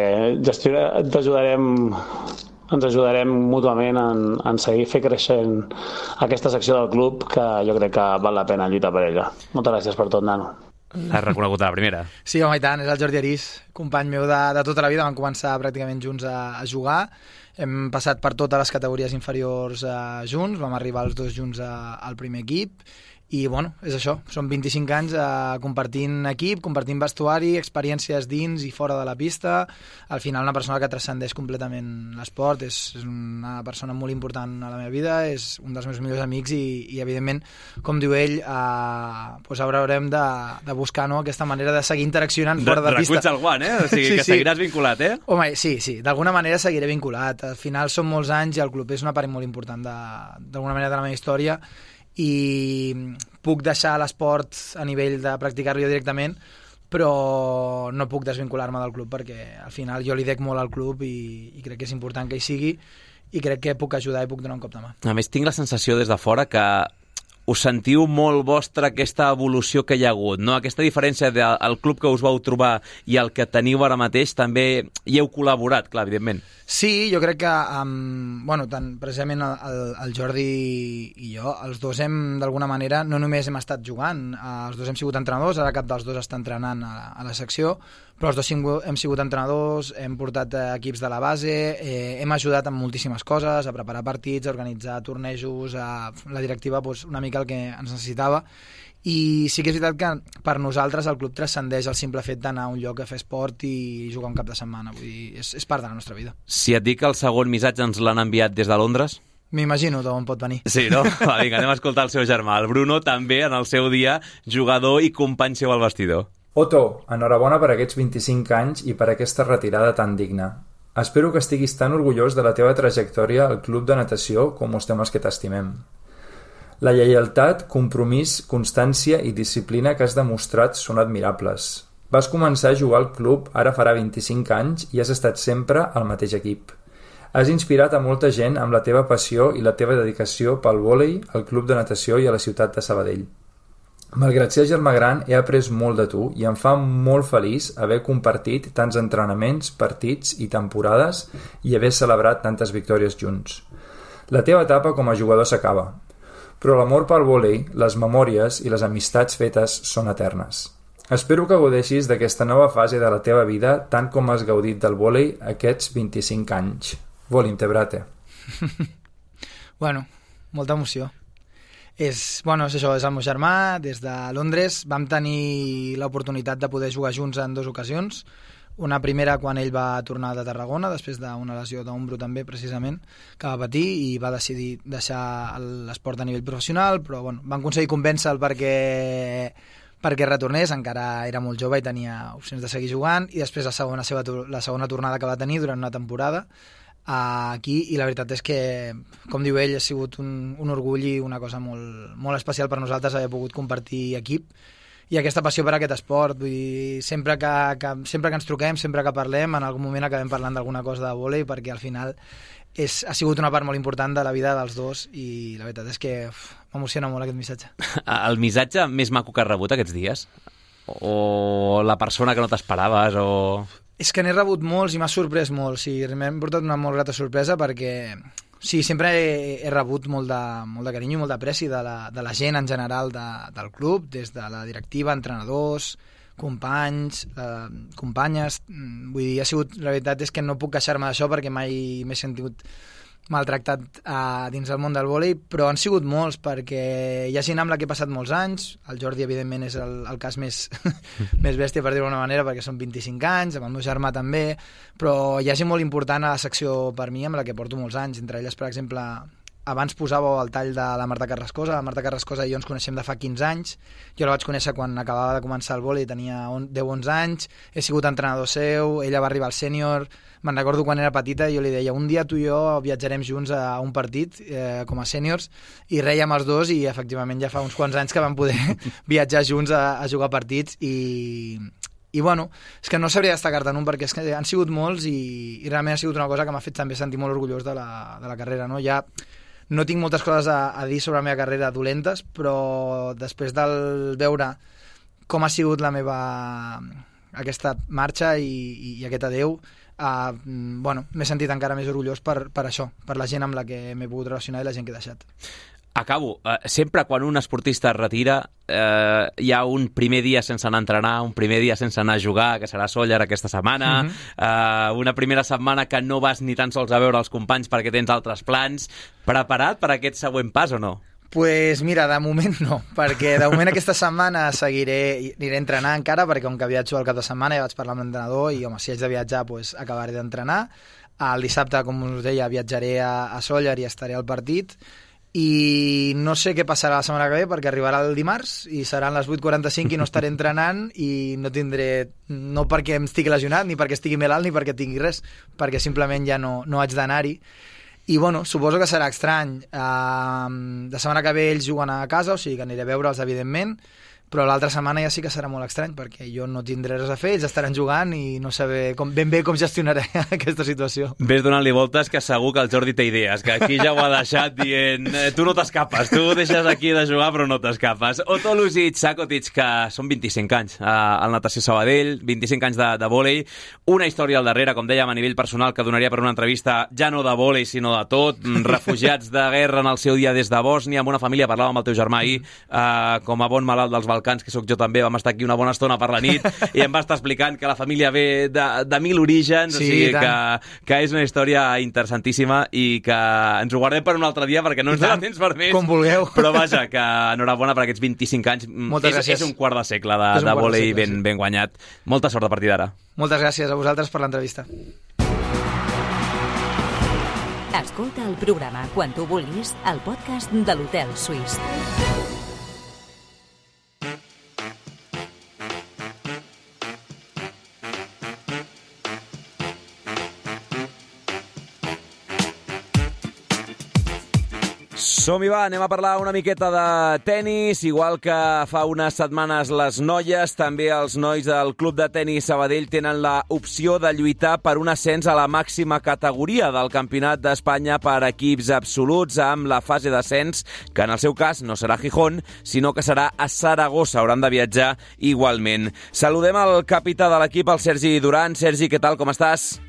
ens ajudarem mútuament en seguir fer creixent aquesta secció del club, que jo crec que val la pena lluitar per ella. Moltes gràcies per tot, nano. L'has reconegut a la primera. Sí, home, i tant, és el Jordi Arís, company meu de tota la vida, vam començar pràcticament junts a jugar, hem passat per totes les categories inferiors junts, vam arribar els dos junts al primer equip, i bueno, és això, són 25 anys compartint equip, compartint vestuari, experiències dins i fora de la pista. Al final una persona que transcendeix completament l'esport, és una persona molt important a la meva vida, és un dels meus millors amics i evidentment, com diu ell, doncs haurem de buscar aquesta manera de seguir interaccionant fora de pista. Reculls el guant, O sigui, que seguiràs vinculat, Home, sí, d'alguna manera seguiré vinculat. Al final són molts anys i el club és una part molt important d'alguna manera de la meva història, i puc deixar l'esport a nivell de practicar-lo jo directament, però no puc desvincular-me del club perquè al final jo li dec molt al club i crec que és important que hi sigui i crec que puc ajudar i puc donar un cop de mà. A més, tinc la sensació des de fora que us sentiu molt vostra aquesta evolució que hi ha hagut, no? Aquesta diferència del club que us vau trobar i el que teniu ara mateix, també hi heu col·laborat, clar, evidentment. Sí, jo crec que tant precisament el Jordi i jo, els dos hem d'alguna manera, no només hem estat jugant, els dos hem sigut entrenadors, ara cap dels dos està entrenant a la secció, però els dos hem sigut entrenadors, hem portat equips de la base, hem ajudat en moltíssimes coses, a preparar partits, a organitzar tornejos, la directiva una mica el que ens necessitava, i sí que és veritat que per nosaltres el club transcendeix el simple fet d'anar a un lloc a fer esport i jugar un cap de setmana, vull dir, és part de la nostra vida. Si et dic que el segon missatge ens l'han enviat des de Londres? M'imagino d'on pot venir. Sí, no? Va, vinga, anem a escoltar el seu germà, el Bruno, també en el seu dia jugador i company seu al vestidor. Otto, enhorabona per aquests 25 anys i per aquesta retirada tan digna. Espero que estiguis tan orgullós de la teva trajectòria al club de natació com ho estem els que t'estimem. La lleialtat, compromís, constància i disciplina que has demostrat són admirables. Vas començar a jugar al club ara farà 25 anys i has estat sempre al mateix equip. Has inspirat a molta gent amb la teva passió i la teva dedicació pel vòlei, al club de natació i a la ciutat de Sabadell. Malgrat ser germà gran, he après molt de tu i em fa molt feliç haver compartit tants entrenaments, partits i temporades i haver celebrat tantes victòries junts. La teva etapa com a jugador s'acaba, però l'amor pel vòlei, les memòries i les amistats fetes són eternes. Espero que gaudeixis d'aquesta nova fase de la teva vida tant com has gaudit del vòlei aquests 25 anys. Volim te, brate. Bueno, molta emoció. És això, és el meu germà, des de Londres. Vam tenir l'oportunitat de poder jugar junts en 2 ocasions. Una primera quan ell va tornar de Tarragona, després d'una lesió d'ombro també, precisament, que va patir i va decidir deixar l'esport a nivell professional, però van aconseguir convèncer-lo perquè retornés, encara era molt jove i tenia opcions de seguir jugant, i després la segona tornada que va tenir durant una temporada aquí, i la veritat és que, com diu ell, ha sigut un orgull i una cosa molt, molt especial per nosaltres haver pogut compartir equip i aquesta passió per aquest esport. Vull dir, sempre que ens truquem, sempre que parlem, en algun moment acabem parlant d'alguna cosa de vòlei, perquè al final ha sigut una part molt important de la vida dels dos i la veritat és que m'emociona molt aquest missatge. El missatge més maco que has rebut aquests dies? O la persona que no t'esperaves? És que n'he rebut molts i m'ha sorprès molt. Sí, m'hem portat una molt grata sorpresa perquè sí, sempre he rebut molt de carinyo i molt d'apreci de la gent en general del club, des de la directiva, entrenadors, companys, companyes. Vull dir, la veritat és que no puc queixar-me d'això perquè mai m'he sentit maltractat dins del món del vòlei, però han sigut molts perquè hi ha gent amb la que he passat molts anys. El Jordi, evidentment, és el cas més bèstia, per dir-ho d'alguna manera, perquè són 25 anys, amb el meu germà també, però hi ha gent molt important a la secció per mi amb la que porto molts anys. Entre elles, per exemple, abans posàveu el tall de la Marta Carrascosa. La Marta Carrascosa i jo ens coneixem de fa 15 anys. Jo la vaig conèixer quan acabava de començar el vòlei, tenia 10-11 anys, he sigut entrenador seu, ella va arribar al sènior. Me'n recordo quan era petita i jo li deia, un dia tu i jo viatjarem junts a un partit com a sèniors, i rèiem els dos, i efectivament ja fa uns quants anys que vam poder viatjar junts a jugar partits i bueno, és que no sabria destacar-te'n un perquè és que han sigut molts i realment ha sigut una cosa que m'ha fet també sentir molt orgullós de la carrera, no? Ja no tinc moltes coses a dir sobre la meva carrera dolentes, però després del veure com ha sigut la meva aquesta marxa i aquest adeu, m'he sentit encara més orgullós per això, per la gent amb la que m'he pogut relacionar i la gent que he deixat. Acabo. Sempre quan un esportista es retira hi ha un primer dia sense anar a entrenar, un primer dia sense anar a jugar, que serà Sóller aquesta setmana, una primera setmana que no vas ni tan sols a veure els companys perquè tens altres plans. Preparat per aquest següent pas o no? Pues mira, de moment no, perquè de moment aquesta setmana aniré a entrenar encara, perquè com que viatjo al cap de setmana ja vaig parlar amb l'entrenador i home, si haig de viatjar pues, acabaré d'entrenar. El dissabte, com us deia, viatjaré a Sóller i estaré al partit i no sé què passarà la setmana que ve perquè arribarà el dimarts i seran les 8:45 i no estaré entrenant i no tindré, no perquè em estigui lesionat ni perquè estigui malalt ni perquè tingui res, perquè simplement ja no haig d'anar-hi. I bueno, suposo que serà estrany. La setmana que ve ells juguen a casa, o sigui que aniré a veure'ls evidentment, però l'altra setmana ja sí que serà molt estrany perquè jo no tindré res a fer, ells estaran jugant i no saber ben bé com gestionaré aquesta situació. Ves donant-li voltes que segur que el Jordi té idees, que aquí ja ho ha deixat dient tu no t'escapes, tu deixes aquí de jugar però no t'escapes. Otto Lusic, Čakotić, que són 25 anys al Natació Sabadell, 25 anys de vòlei, una història al darrere, com dèiem, a nivell personal que donaria per una entrevista ja no de vòlei sinó de tot, refugiats de guerra en el seu dia des de Bòsnia, amb una família, parlàvem amb el teu germà ahir, com a bon malalt dels Balcans, que sóc jo també, vam estar aquí una bona estona per la nit i em va estar explicant que la família ve de 1000 orígens, sí, o sigui que és una història interessantíssima i que ens ho guardem per un altre dia perquè no ens dona temps per més. Com vulgueu. Però vaja, que enhorabona per aquests 25 anys. Moltes gràcies. És un quart de segle de vòlei ben guanyat. Molta sort a partir d'ara. Moltes gràcies a vosaltres per l'entrevista. Escolta el programa quan tu vulguis al podcast de l'Hotel Suís. Som-hi, va, anem a parlar una miqueta de tennis, igual que fa unes setmanes les noies, també els nois del Club de Tenis Sabadell tenen l'opció de lluitar per un ascens a la màxima categoria del Campionat d'Espanya per equips absoluts amb la fase d'ascens, que en el seu cas no serà a Gijón, sinó que serà a Saragossa. Hauran de viatjar igualment. Saludem al capità de l'equip, el Sergi Duran. Sergi, què tal, com estàs?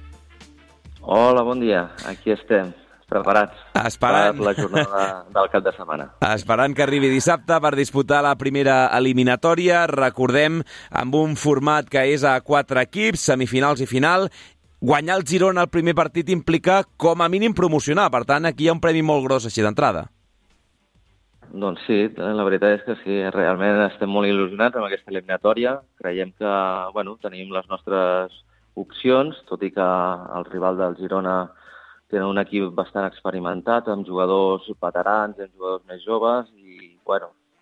Hola, bon dia. Aquí estem. Preparats per la jornada del cap de setmana. Esperant que arribi dissabte per disputar la primera eliminatòria. Recordem, amb un format que és a 4 equips, semifinals i final. Guanyar el Girona al primer partit implica com a mínim promocionar. Per tant, aquí hi ha un premi molt gros així d'entrada. Doncs sí, la veritat és que sí. Realment estem molt il·lusionats amb aquesta eliminatòria. Creiem que tenim les nostres opcions, tot i que el rival del Girona tenen un equip bastant experimentat, amb jugadors veterans i amb jugadors més joves i,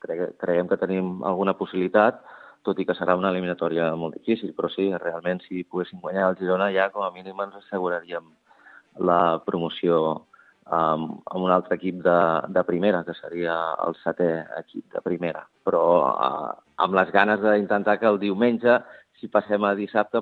creiem que tenim alguna possibilitat, tot i que serà una eliminatòria molt difícil, però sí, realment si poguéssim guanyar el Girona ja com a mínim ens asseguraríem la promoció amb un altre equip de primera, que seria el 7è equip de primera. Però amb les ganes d'intentar que el diumenge, si passem a dissabte,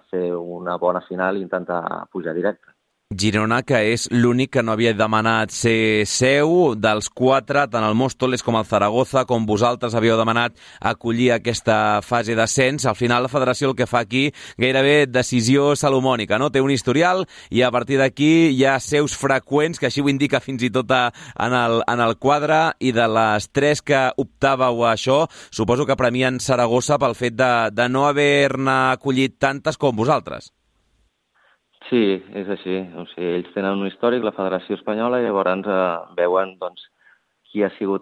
fer una bona final i intentar pujar directe. Girona, que és l'únic que no havia demanat ser seu, dels 4, tant el Móstoles com el Zaragoza, com vosaltres havíeu demanat acollir aquesta fase d'ascens. Al final la federació el que fa aquí gairebé decisió salomònica, no? Té un historial i a partir d'aquí hi ha seus freqüents, que així ho indica fins i tot en el quadre, i de les 3 que optàveu a això, suposo que premien Saragossa pel fet de no haver-ne acollit tantes com vosaltres. Sí, és així. O sigui, ells tenen un històric, la Federació Espanyola, i llavors veuen qui ha sigut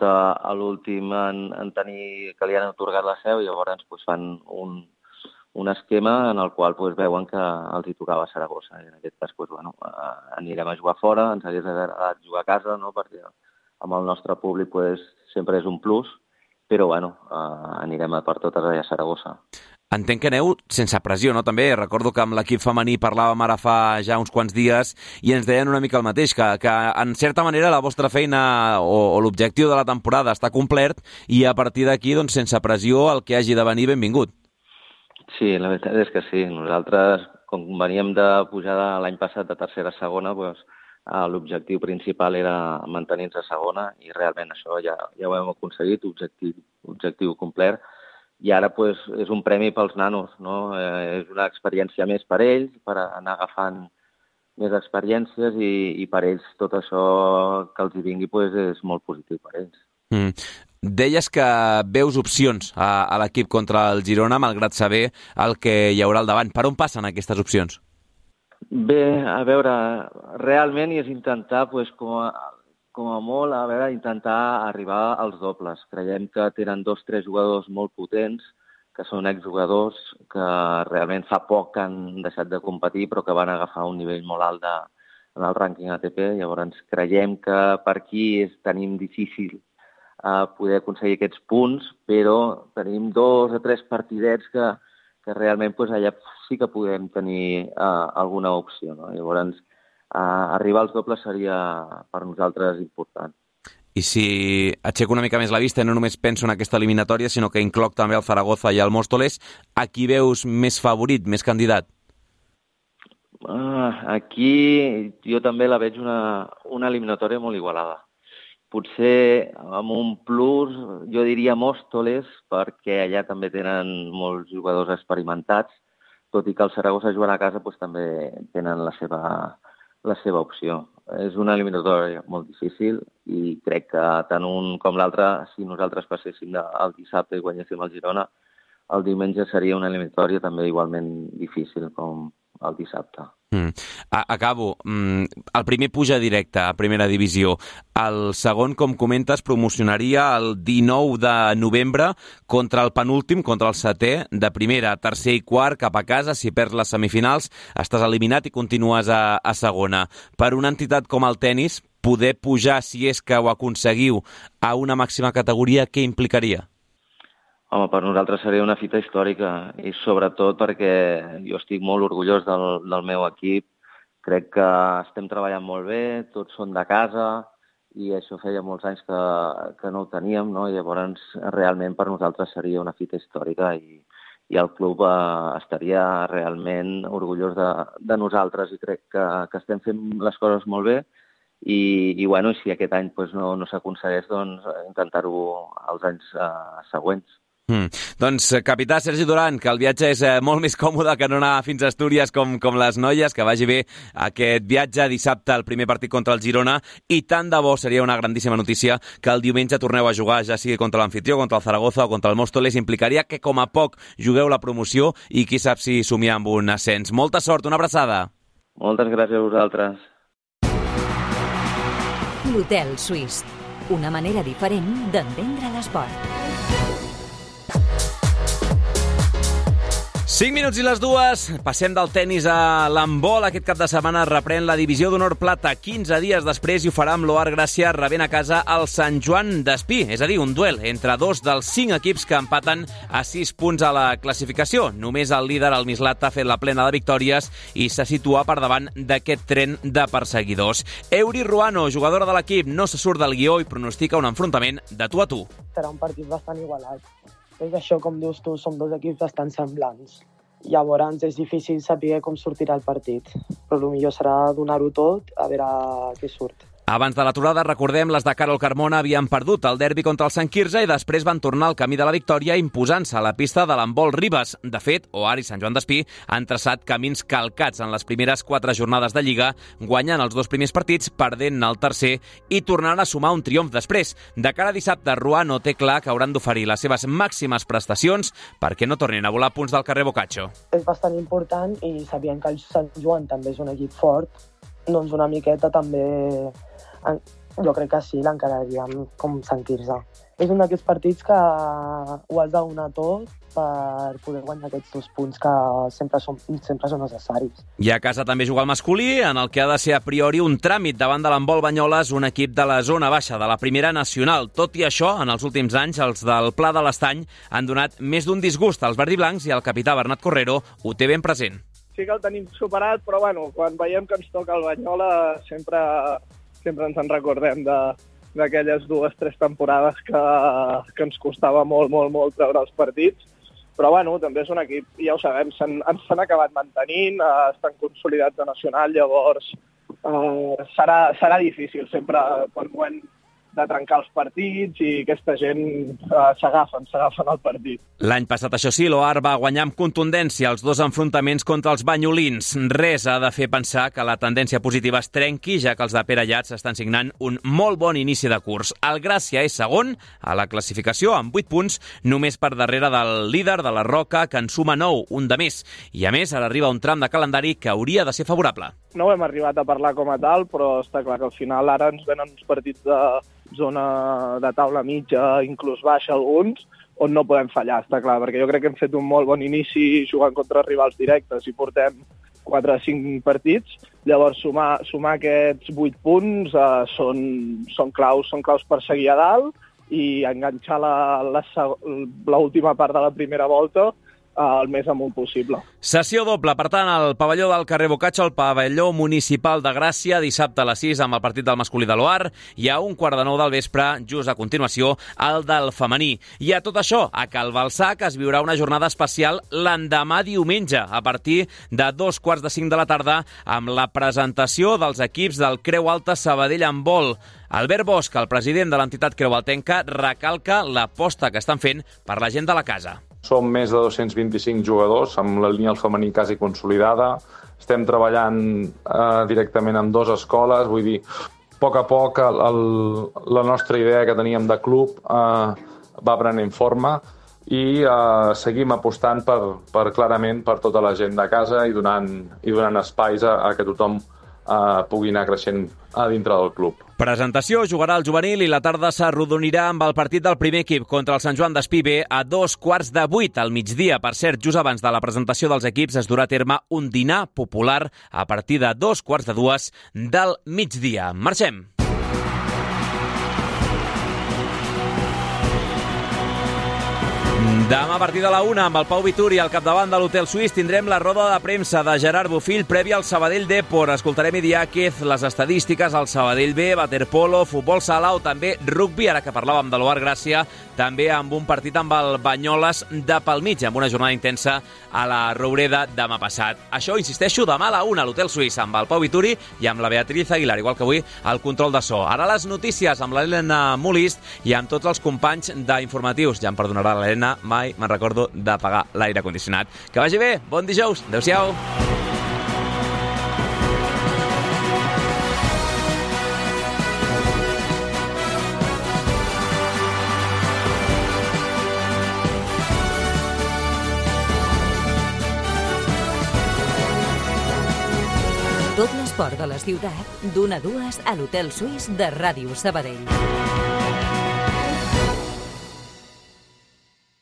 l'últim en tenir que li han atorgat la seu, i llavors fan un esquema en el qual veuen que els hi tocava a Saragossa. I en aquest cas anirem a jugar fora, ens hagués agradat jugar a casa, no? Perquè amb el nostre públic sempre és un plus, però anirem per totes allà a Saragossa. Entenc que aneu sense pressió, no? També recordo que amb l'equip femení parlàvem ara fa ja uns quants dies i ens deien una mica el mateix, que en certa manera la vostra feina o l'objectiu de la temporada està complert i a partir d'aquí, sense pressió, el que hagi de venir, benvingut. Sí, la veritat és que sí. Nosaltres, com veníem de pujar l'any passat de tercera a segona, l'objectiu principal era mantenir-nos a segona i realment això ja ho hem aconseguit, objectiu complert. I ara és un premi pels nanos, no? És una experiència més per ells, per anar agafant més experiències i per ells tot això que els hi vingui és molt positiu per ells. Deies que veus opcions a l'equip contra el Girona, malgrat saber el que hi haurà al davant. Per on passen aquestes opcions? Bé, a veure, realment és intentar, com a molt, intentar arribar als dobles. Creiem que tenen 2 o 3 jugadors molt potents, que són exjugadors, que realment fa poc que han deixat de competir, però que van agafar un nivell molt alt en el rànquing ATP. Llavors creiem que per aquí tenim difícil poder aconseguir aquests punts, però tenim 2 o 3 partidets que realment allà sí que podem tenir alguna opció. No? Llavors, arribar als dobles seria per nosaltres important. I si aixeco una mica més la vista, no només penso en aquesta eliminatòria, sinó que incloc també el Zaragoza i el Móstoles, a qui veus més favorit, més candidat? Aquí jo també la veig una eliminatòria molt igualada. Potser amb un plus, jo diria Móstoles, perquè allà també tenen molts jugadors experimentats, tot i que el Zaragoza jugant a casa també tenen la seva opció. És una eliminatòria molt difícil i crec que tant un com l'altre, si nosaltres passéssim el dissabte i guanyéssim el Girona, el diumenge seria una eliminatòria també igualment difícil com el dissabte. Acabo. El primer puja directe a primera divisió. El segon, com comentes, promocionaria el 19 de novembre contra el penúltim, contra el 7è de primera, tercer i quart cap a casa. Si perds les semifinals, estàs eliminat i continues a segona. Per una entitat com el tennis, poder pujar, si és que ho aconseguiu, a una màxima categoria, què implicaria? Home, per nosaltres seria una fita històrica i sobretot perquè jo estic molt orgullós del meu equip. Crec que estem treballant molt bé, tots són de casa i això feia molts anys que no ho teníem, no? Llavors realment per nosaltres seria una fita històrica i el club estaria realment orgullós de nosaltres i crec que estem fent les coses molt bé i si aquest any no s'aconsegueix, intentar-ho els anys següents. Doncs, capità Sergi Duran, que el viatge és molt més còmode que no anar fins a Astúries com les noies, que vagi bé aquest viatge dissabte, el primer partit contra el Girona, i tant de bo seria una grandíssima notícia que el diumenge torneu a jugar, ja sigui contra l'Amfitrió, contra el Zaragoza o contra el Móstoles. Implicaria que com a poc jugueu la promoció i qui sap si somiar amb un ascens. Molta sort, una abraçada. Moltes gràcies a vosaltres. L'Hotel Suís, una manera diferent d'entendre l'esport. 5 minuts i les 2, passem del tennis a l'handbol. Aquest cap de setmana reprèn la divisió d'honor plata 15 dies després i ho farà amb l'Oar Gràcia rebent a casa el Sant Joan d'Espí, és a dir, un duel entre 2 dels 5 equips que empaten a 6 punts a la classificació. Només el líder, el Mislat, ha fet la plena de victòries i se situa per davant d'aquest tren de perseguidors. Euri Ruano, jugadora de l'equip, no se surt del guió i pronostica un enfrontament de tu a tu. Serà un partit bastant igualat. És això, com dius tu, som 2 equips bastant semblants. Llavors és difícil saber com sortirà el partit, però el millor serà donar-ho tot a veure què surt. Abans de l'aturada, recordem, les de Carol Carmona havien perdut el derbi contra el Sant Quirze i després van tornar al camí de la victòria imposant-se a la pista de l'handbol Ribes. De fet, Oar i Sant Joan d'Espí han traçat camins calcats en les primeres 4 jornades de Lliga, guanyant els 2 primers partits, perdent el tercer i tornant a sumar un triomf després. De cara a dissabte, Ruano té clar que hauran d'oferir les seves màximes prestacions perquè no tornin a volar punts del carrer Boccaccio. És bastant important i sabien que el Sant Joan també és un equip fort, doncs una miqueta també jo crec que sí, l'encararíem com sentir-se. És un d'aquests partits que ho has de donar tot per poder guanyar aquests 2 punts que sempre són necessaris. I a casa també juga el masculí, en el que ha de ser a priori un tràmit davant de l'handbol Banyoles, un equip de la zona baixa de la primera nacional. Tot i això, en els últims anys, els del Pla de l'Estany han donat més d'un disgust als verdiblancs i el capità Bernat Correro ho té ben present. Sí que el tenim superat, però quan veiem que ens toca el Banyola sempre ens en recordem d'aquelles 2 o 3 temporades que ens costava molt treure els partits. Però també és un equip, ja ho sabem, ens s'han acabat mantenint, estan consolidats a nacional, llavors serà difícil sempre quan de trencar els partits i aquesta gent s'agafen al partit. L'any passat, això sí, l'Oar va guanyar amb contundència els 2 enfrontaments contra els banyolins. Res ha de fer pensar que la tendència positiva es trenqui, ja que els de Pere Llats estan signant un molt bon inici de curs. El Gràcia és segon a la classificació amb 8 punts, només per darrere del líder de la Roca, que en suma 9, un de més. I a més, ara arriba un tram de calendari que hauria de ser favorable. No ho hem arribat a parlar com a tal, però està clar que al final ara ens venen uns partits de zona de taula mitja, inclús baixa alguns, on no podem fallar, està clar, perquè jo crec que hem fet un molt bon inici jugant contra rivals directes i portem 4 o 5 partits. Llavors, sumar aquests 8 punts són claus per seguir a dalt i enganxar l'última part de la primera volta el més amunt possible. Sessió doble, per tant, al pavelló del carrer Bocaccio, al pavelló municipal de Gràcia, dissabte a les 6 amb el partit del masculí de l'Oar i a 1:15 del vespre, just a continuació, el del femení. I a tot això, a Cal Balsac es viurà una jornada especial l'endemà diumenge, a partir de 2:45 de la tarda, amb la presentació dels equips del Creu Alta Sabadell Handbol. Albert Bosch, el president de l'entitat creualtenca, recalca l'aposta que estan fent per la gent de la casa. Som més de 225 jugadors, amb la línia del femení quasi consolidada. Estem treballant directament amb 2 escoles, vull dir, a poc la nostra idea que teníem de club va prenent forma i seguim apostant clarament per tota la gent de casa i donant espais a que tothom pugui anar creixent a dintre del club. Presentació, jugarà el juvenil i la tarda s'arrodonirà amb el partit del primer equip contra el Sant Joan d'Espí B a 7:15 al migdia. Per cert, just abans de la presentació dels equips es durà a terme un dinar popular a partir de 2:15 del migdia. Marxem! Demà a partir de la 1 amb el Pau Vituri al capdavant de l'Hotel Suís tindrem la roda de premsa de Gerard Bofill prèvia al Sabadell Depor. Escoltarem Idiáquez, les estadístiques al Sabadell B, waterpolo, futbol sala o també rugbi, ara que parlàvem de l'Oar Gràcia, també amb un partit amb el Banyoles de pel mig, amb una jornada intensa a la Roureda demà passat. Això, insisteixo, demà a la 1 a l'Hotel Suís amb el Pau Vituri i amb la Beatriz Aguilar, igual que avui, al control de so. Ara les notícies amb l'Helena Molist i amb tots els companys d'informatius. Ja em perdonarà l'Helena, mai me'n recordo d'apagar l'aire condicionat. Que vagi bé, bon dijous, adeu-siau. Tot l'esport de la ciutat, d'1 a 2 a l'Hotel Suís de Ràdio Sabadell.